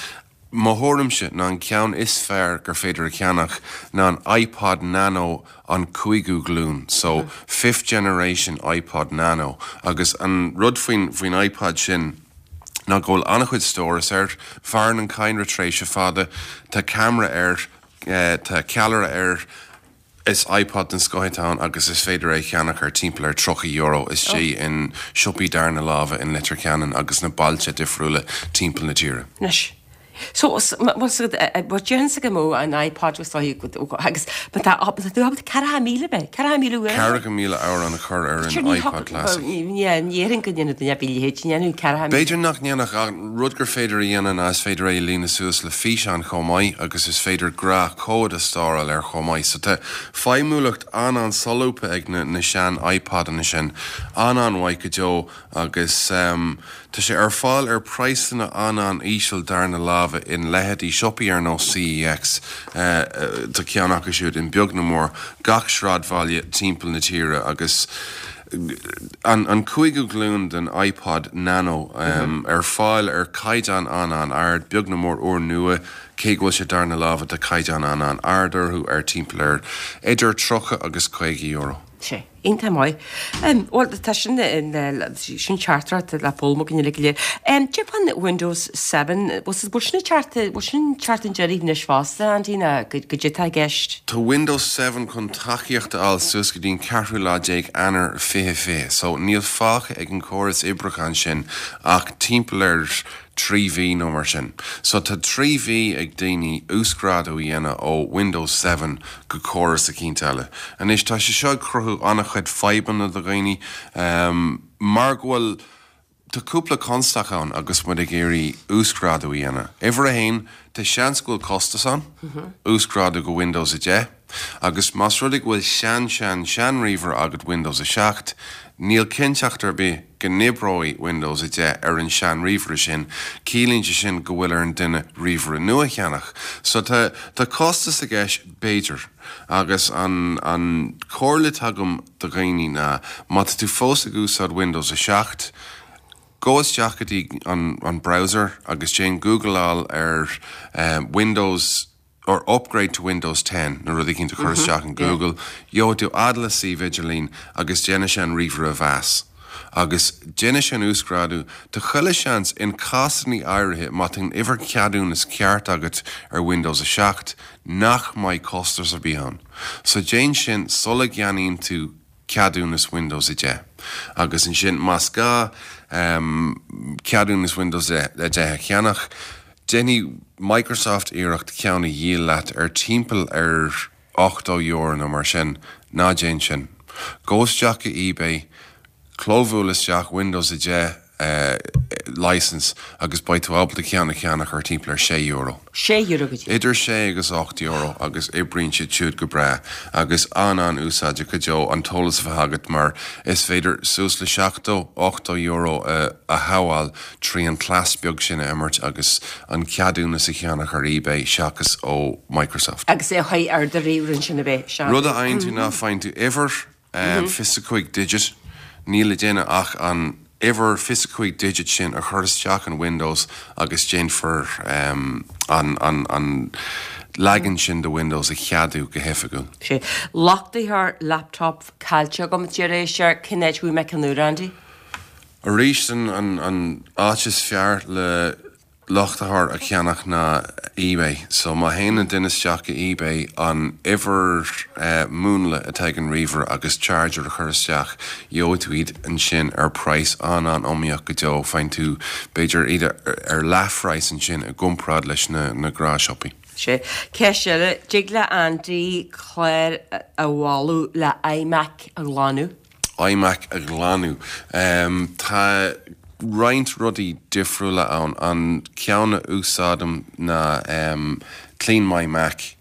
Mo thuairimse ná an ceann is fearr gur féidir a cheannach ná an iPod Nano an cúigiú glúin, so fifth generation iPod Nano agus an rud faoin faoin iPod sin ná go bhfuil an-chuid stóras air, mhaireann an cadhnra tréimhse fada, tá ceamara air, tá ceallra air, Is iPod den scoth atá ann agus is féidir é a cheannach ar timpeall ar €30 istigh in siopaí darna láimhe in Leitir Ceanainn agus sna bailte difriúla timpeall na tíre. Anois. So, bhuel, déarfainnse go mbeadh an iPod is dóigh agus má tá tá tú ábalta 40,000 bheith, 40,000 uair. 40,000 amhrán a chur ar an iPod Classic. Ní déarfainn go ndéanfadh duine ar bith a leithéid, ní dhéanfadh 40,000. B'fhéidir nach ndéanfadh ach rud gur féidir a dhéanamh ná is féidir é a líonadh suas le físeáin chomh maith agus is féidir gnáthchomhad a stóráil air chomh maith. So tá feidhmiúlacht an-an-solúbtha ag na sean iPodanna sin. An-an-mhaith go deo. Agus tá sé ar fáil ar praghsanna an-an-íseal darna láimhe in leithéidí siopaí ar nós CEX, tá ceann acu siúd in beag nó mór gach sráidbhaile timpeall na tíre, agus an cúigiú glúin den iPod Nano ar fáil ar caighdeán an-an-ard, beag nó mór úrnua, cé go bhfuil sé darna láimhe tá caighdeán an-an-ard orthu ar timpeall ar idir 30 agus 50 euro. Sea. Iontach maith. Bhuel, tá sin, sin teachtaireacht le foghlaim againn uilig go léir. Cad é fán Windows 7, bhfuil sin ag teacht, bhfuil sin ag teacht chun deiridh anois fosta, Andy, nó goidé atá i gceist? Tá Windows 7 chun tacaíocht a fháil suas go dtí an ceathrú lá déag Eanáir 2020, so níl fágtha ag an córas oibriúcháin sin ach timpeall ar 3 mhí nó mar sin. So tá 3 mhí ag daoine uasghrádú a dhéanamh ó Windows 7 go córas eicínt eile. Anois tá sé seo ag cruthú an-chuid fadhbanna do dhaoine mar go bhfuil, tá cúpla constaic ann agus muid ag iarraidh uasghrádú a dhéanamh. Uimhir a haon, tá seans go bhfuil costas ann, uasghrádú go Windows 10. Agus más rud é go bhfuil sean sean sean ríomhaire agat Windows 7, níl cinnteacht ar bith go n-oibreoidh Windows 10 ar an sean ríomhaire sin, ciallaíonn sé sin go bhfuil ar an duine ríomhaire nua a cheannach. So tá tá costas i gceist b'fhéidir. Agus an an comhairle atá agam do dhaoine ná má tá tú fós ag úsáid Windows 7, gabh isteach go dtí an an browser agus déan googleáil ar Windows or upgrade to Windows 10 nó rud eicínt a chur isteach in Google, gheobhaidh tú fhad le suíomh idirlín agus déanfaidh sé an ríomhaire a mheas. Agus déanfaidh sé an uasghrádú. Tá chuile sheans, in cásanna áirithe, má tá an uimhir ceadúnas ceart agat ar Windows 7, nach mbeidh costas ar bith ann. So déan sin sula gceannaíonn tú ceadúnas Windows 10. Agus ansin, más gá ceadúnas Windows 10 a cheannach, déanfaidh Microsoft iarracht ceann a dhíol leat ar timpeall ar €80 nó mar sin. Ná déan sin. Gabh isteach go eBay, clóbhuail isteach Windows 10 license agus beidh tú ábalta ceann a cheannach ar timpeall ar €6. €6 go dtí. Idir sé agus €8 agus oibríonn siad siúd go breá agus an-an-úsáideach go deo an t-eolas a bheith agat mar is féidir suas le €70, €80 a shábháil trí an cleas beag sin a imirt agus an ceadúnas a cheannach ar eBay seachas ó Microsoft. Agus é a chur ar do ríomhaire ansin a bheith, sea. Rud a fhaigheann tú ná faigheann tú uimhir 25 digit, níl le déanamh ach an uimhir 25 digit sin a chur isteach in Windows agus déanfar an an leagan sin de Windows a cheadú go hoifigiúil. Sea. Luchtaitheoir laptop caillte agam, deir éisteoir, cén áit a bhfaighidh mé ceann úr, Andy? Arís, an áit is fearr le luchtaitheoir a cheannach ná eBay. So má théann an duine isteach go eBay, an uimhir múnla atá ag an ríomhaire agus charger a chur isteach, gheobhaidh tú iad ansin ar praghas an-an-iomaíoch go deo. Faigheann tú b'fhéidir iad ar leathphraghas ansin i gcomparáid leis na gnáthshiopaí. Sea. Ceist eile, dtig le Andy clár a mholadh le iMac a ghlanadh? iMac a ghlanadh. Tá roinnt rudaí difriúla ann. An ceann a úsáidim ná Clean My Mac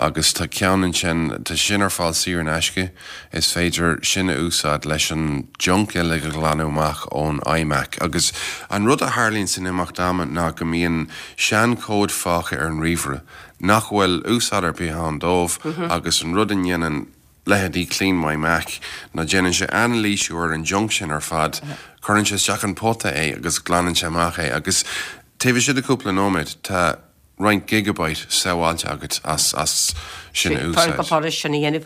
agus tá ceann ansin, tá sin ar fáil saor in aisce, is féidir sin a úsáid leis an junk uilig a ghlanadh amach ón iMac. Agus an rud a tharlaíonn san imeacht ama ná go mbíonn seanchomhaid fágtha ar an ríomhaire nach bhfuil úsáid ar bith ann dóibh agus an rud a ndéanann leithéidí Clean My Mac, ná déanann sé anailísiú ar an junk sin ar fad, cuireann sé isteach in pota é agus glanann sé amach é agus taobh istigh de cúpla nóiméad tá roinnt gigabyte sábháilte agat as as. Sin a úsáid. Go furast sin a dhéanamh.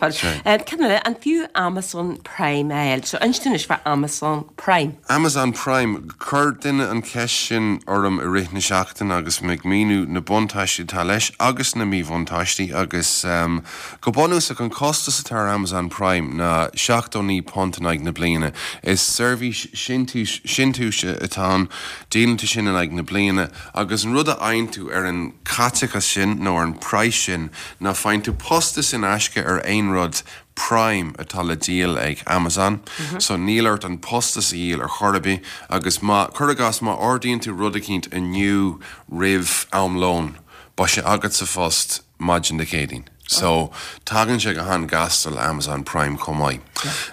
Cén eile, an fiú Amazon Prime a fháil? So inis dúinn anois fá Amazon Prime. Amazon Prime, chuir duine an cheist sin orm i rith na seachtaine agus mé ag míniú na buntáistí atá leis agus na míbhuntáistí agus go bunúsach an costas atá ar Amazon Prime ná £79 in aghaidh na bliana. Is seirbhís síntiúis atá ann, díolann tú sin in aghaidh na bliana. Agus an rud a fhaigheann tú ar an chaiteachas sin, nó ar an praghas sin, ná faigheann tú postas in aisce ar aon rud Prime atá le díol ag Amazon. So níl ort an postas a dhíol ar chor ar bith. Agus má, cuir i gcás, má ordaíonn tú rud eicínt inniu roimh am lóin, beidh sé agat sa phost maidin Dé Céadaoin. So, tagann sé go han-ghasta le Amazon Prime chomh maith.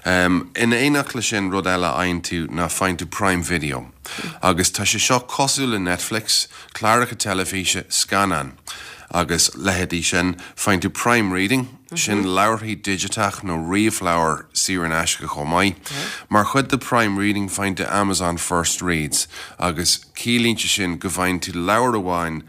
In éineacht le sin, rud eile a fhaigheann tú ná faigheann tú Prime Video. Agus tá sé seo cosúil le Netflix, cláracha teilifíse, scannáin agus leithéidí sin. Faigheann tú Prime Reading, sin leabharthaí digiteach nó ríomhleabhair saor in aisce chomh maith. Mar chuid de Prime Reading faigheann tú Amazon First Reads agus ciallaíonn sé sin go bhfaigheann tú leabhar amháin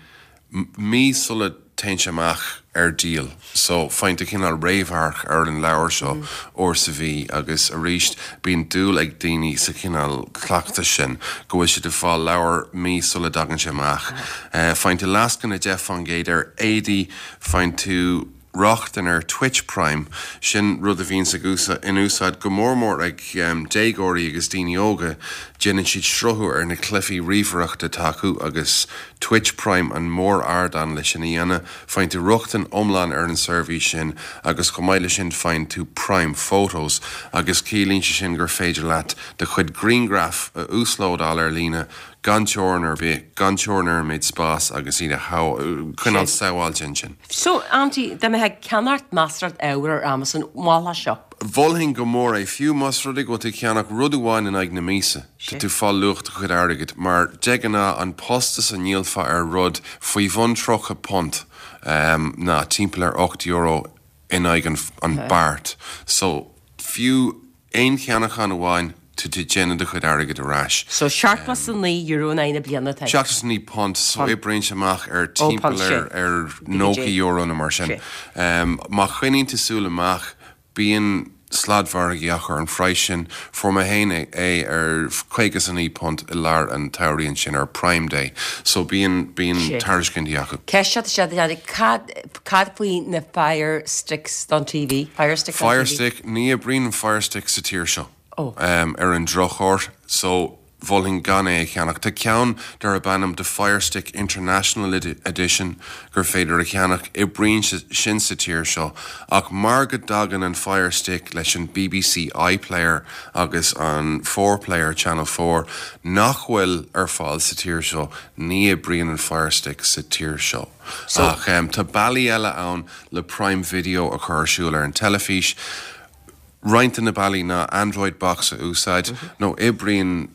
mí sula dtéann sé amach ar díol. So, faigheann tú cineál réamhamharc ar an leabhar seo uair sa mhí agus arís bíonn dúil ag daoine sa chineál cleachtais sin, go bhfuil siad ag fáil leabhar mí sula dtagann sé amach. Faigheann tú lascaine 10% ar éadaí, faigheann tú rochtain ar Twitch Prime, sin rud a bhíonns ag in úsáid go mór mór ag déagóirí agus daoine óga, déanann siad sruthú ar na cluichí ríomhaireachta atá acu agus Twitch Prime an mór-ardán le sin a dhéanamh. Faigheann tú rochtain iomlán ar an seirbhís sin agus chomh maith le sin faigheann tú Prime Photos agus ciallaíonn sé sin gur féidir leat do chuid grianghraf a uaslódáil ar líne gan teorainn ar bith, gan teorainn ar an méid spáis agus iad a choinneáil sábháilte ansin. So, Andy, dá mbeifeá ag ceannacht measartha ábhar ar Amazon, mholfá seo? Mholfainn go mór é, fiú más rud é go bhfuil tú ag ceannach rud amháin in aghaidh na míosa, tá tú ag fáil luach do chuid airgid, mar de ghnáth an postas a ndíolfá ar rud faoi bhun £30 ná timpeall ar €8 in aghaidh an beart. So, fiú aon cheannachán amháin, tá tú ag déanamh do chuid airgid ar ais. So, €79 in aghaidh na bliana atá. £79, so oibríonn sé amach ar timpeall ar ar €90 nó mar sin. Má choinníonn tú súil amach, bíonn sladmhargaí acu ar an phraghas sin. Fuair mé féin é ar £59 i lár an tsamhraidh ansin ar Prime Day. So bíonn, bíonn tairiscintí acu. Ceist seo tá sé, cad, cad faoi na Fire Sticks don TV? Fire Stick don TV? Fire Stick, ní oibríonn an Fire Stick sa tír seo. Ar an drochuair, so mholfainn gan é a cheannach. Tá ceann darb ainm The Fire Stick International Edition gur féidir a cheannach, oibríonn sin sa tír seo, ach mar go dtagann an Fire Stick leis an BBC iPlayer agus an 4Player, Channel 4, nach bhfuil ar fáil sa tír seo, ní oibríonn an Fire Stick sa tír seo. Ach tá bealaí eile ann le Prime Video a chur ar siúl ar an teilifís. Roinnt de na bealaí ná Android Box a úsáid, nó oibríonn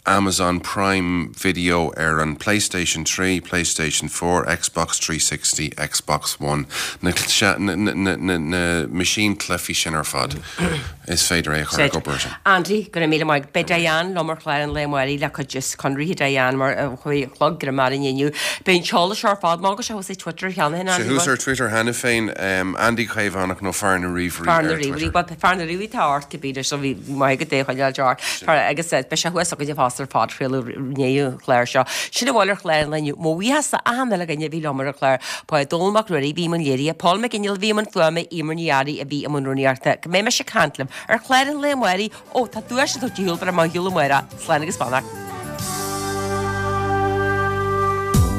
Amazon Prime Video ar an PlayStation 3, PlayStation 4, Xbox 360, Xbox One, na meaisín cluichí sin ar fad, is féidir é a chur ag obair sin. Andy, go raibh míle maith agat. Beidh Diane liom ar chlár an lae amáirigh le cuid de shonraí Diane mar a chuaigh a chlog ar maidin inniu. Beidh an t-eolas seo ar fáil. Má go sé thuas ar Twitter cheana féin, Andy. Sé thuas ar Twitter cheana féin, Andy Caomhánach nó Fear na Ríomhairí Fear na Ríomhairí. Bhuel, Fear na Ríomhairí atá ort cibé so bhí maith agat é a choinneáil ort. Agus beidh sé thuas againne fosta ar phodchraoladh i ndiaidh an chláir seo. Sin a bhfuil ar chlár an lae inniu. Mo bhuíochas le achan uile dhuine a bhí liom ar an chlár. Ba é Dónall Mac Ruairí a bhí i mbun léirithe, Paul McGinley a bhí i mbun fuaime, Eimear Ní Fhearraigh a bhí i mbun rúnaíochta. Go mbeidh mise ag caint libh ar chlár an lae amáirigh. Ó, tá duais le tabhairt ar shiúl, beidh mé ar shiúl amárach. Slán agus beannacht.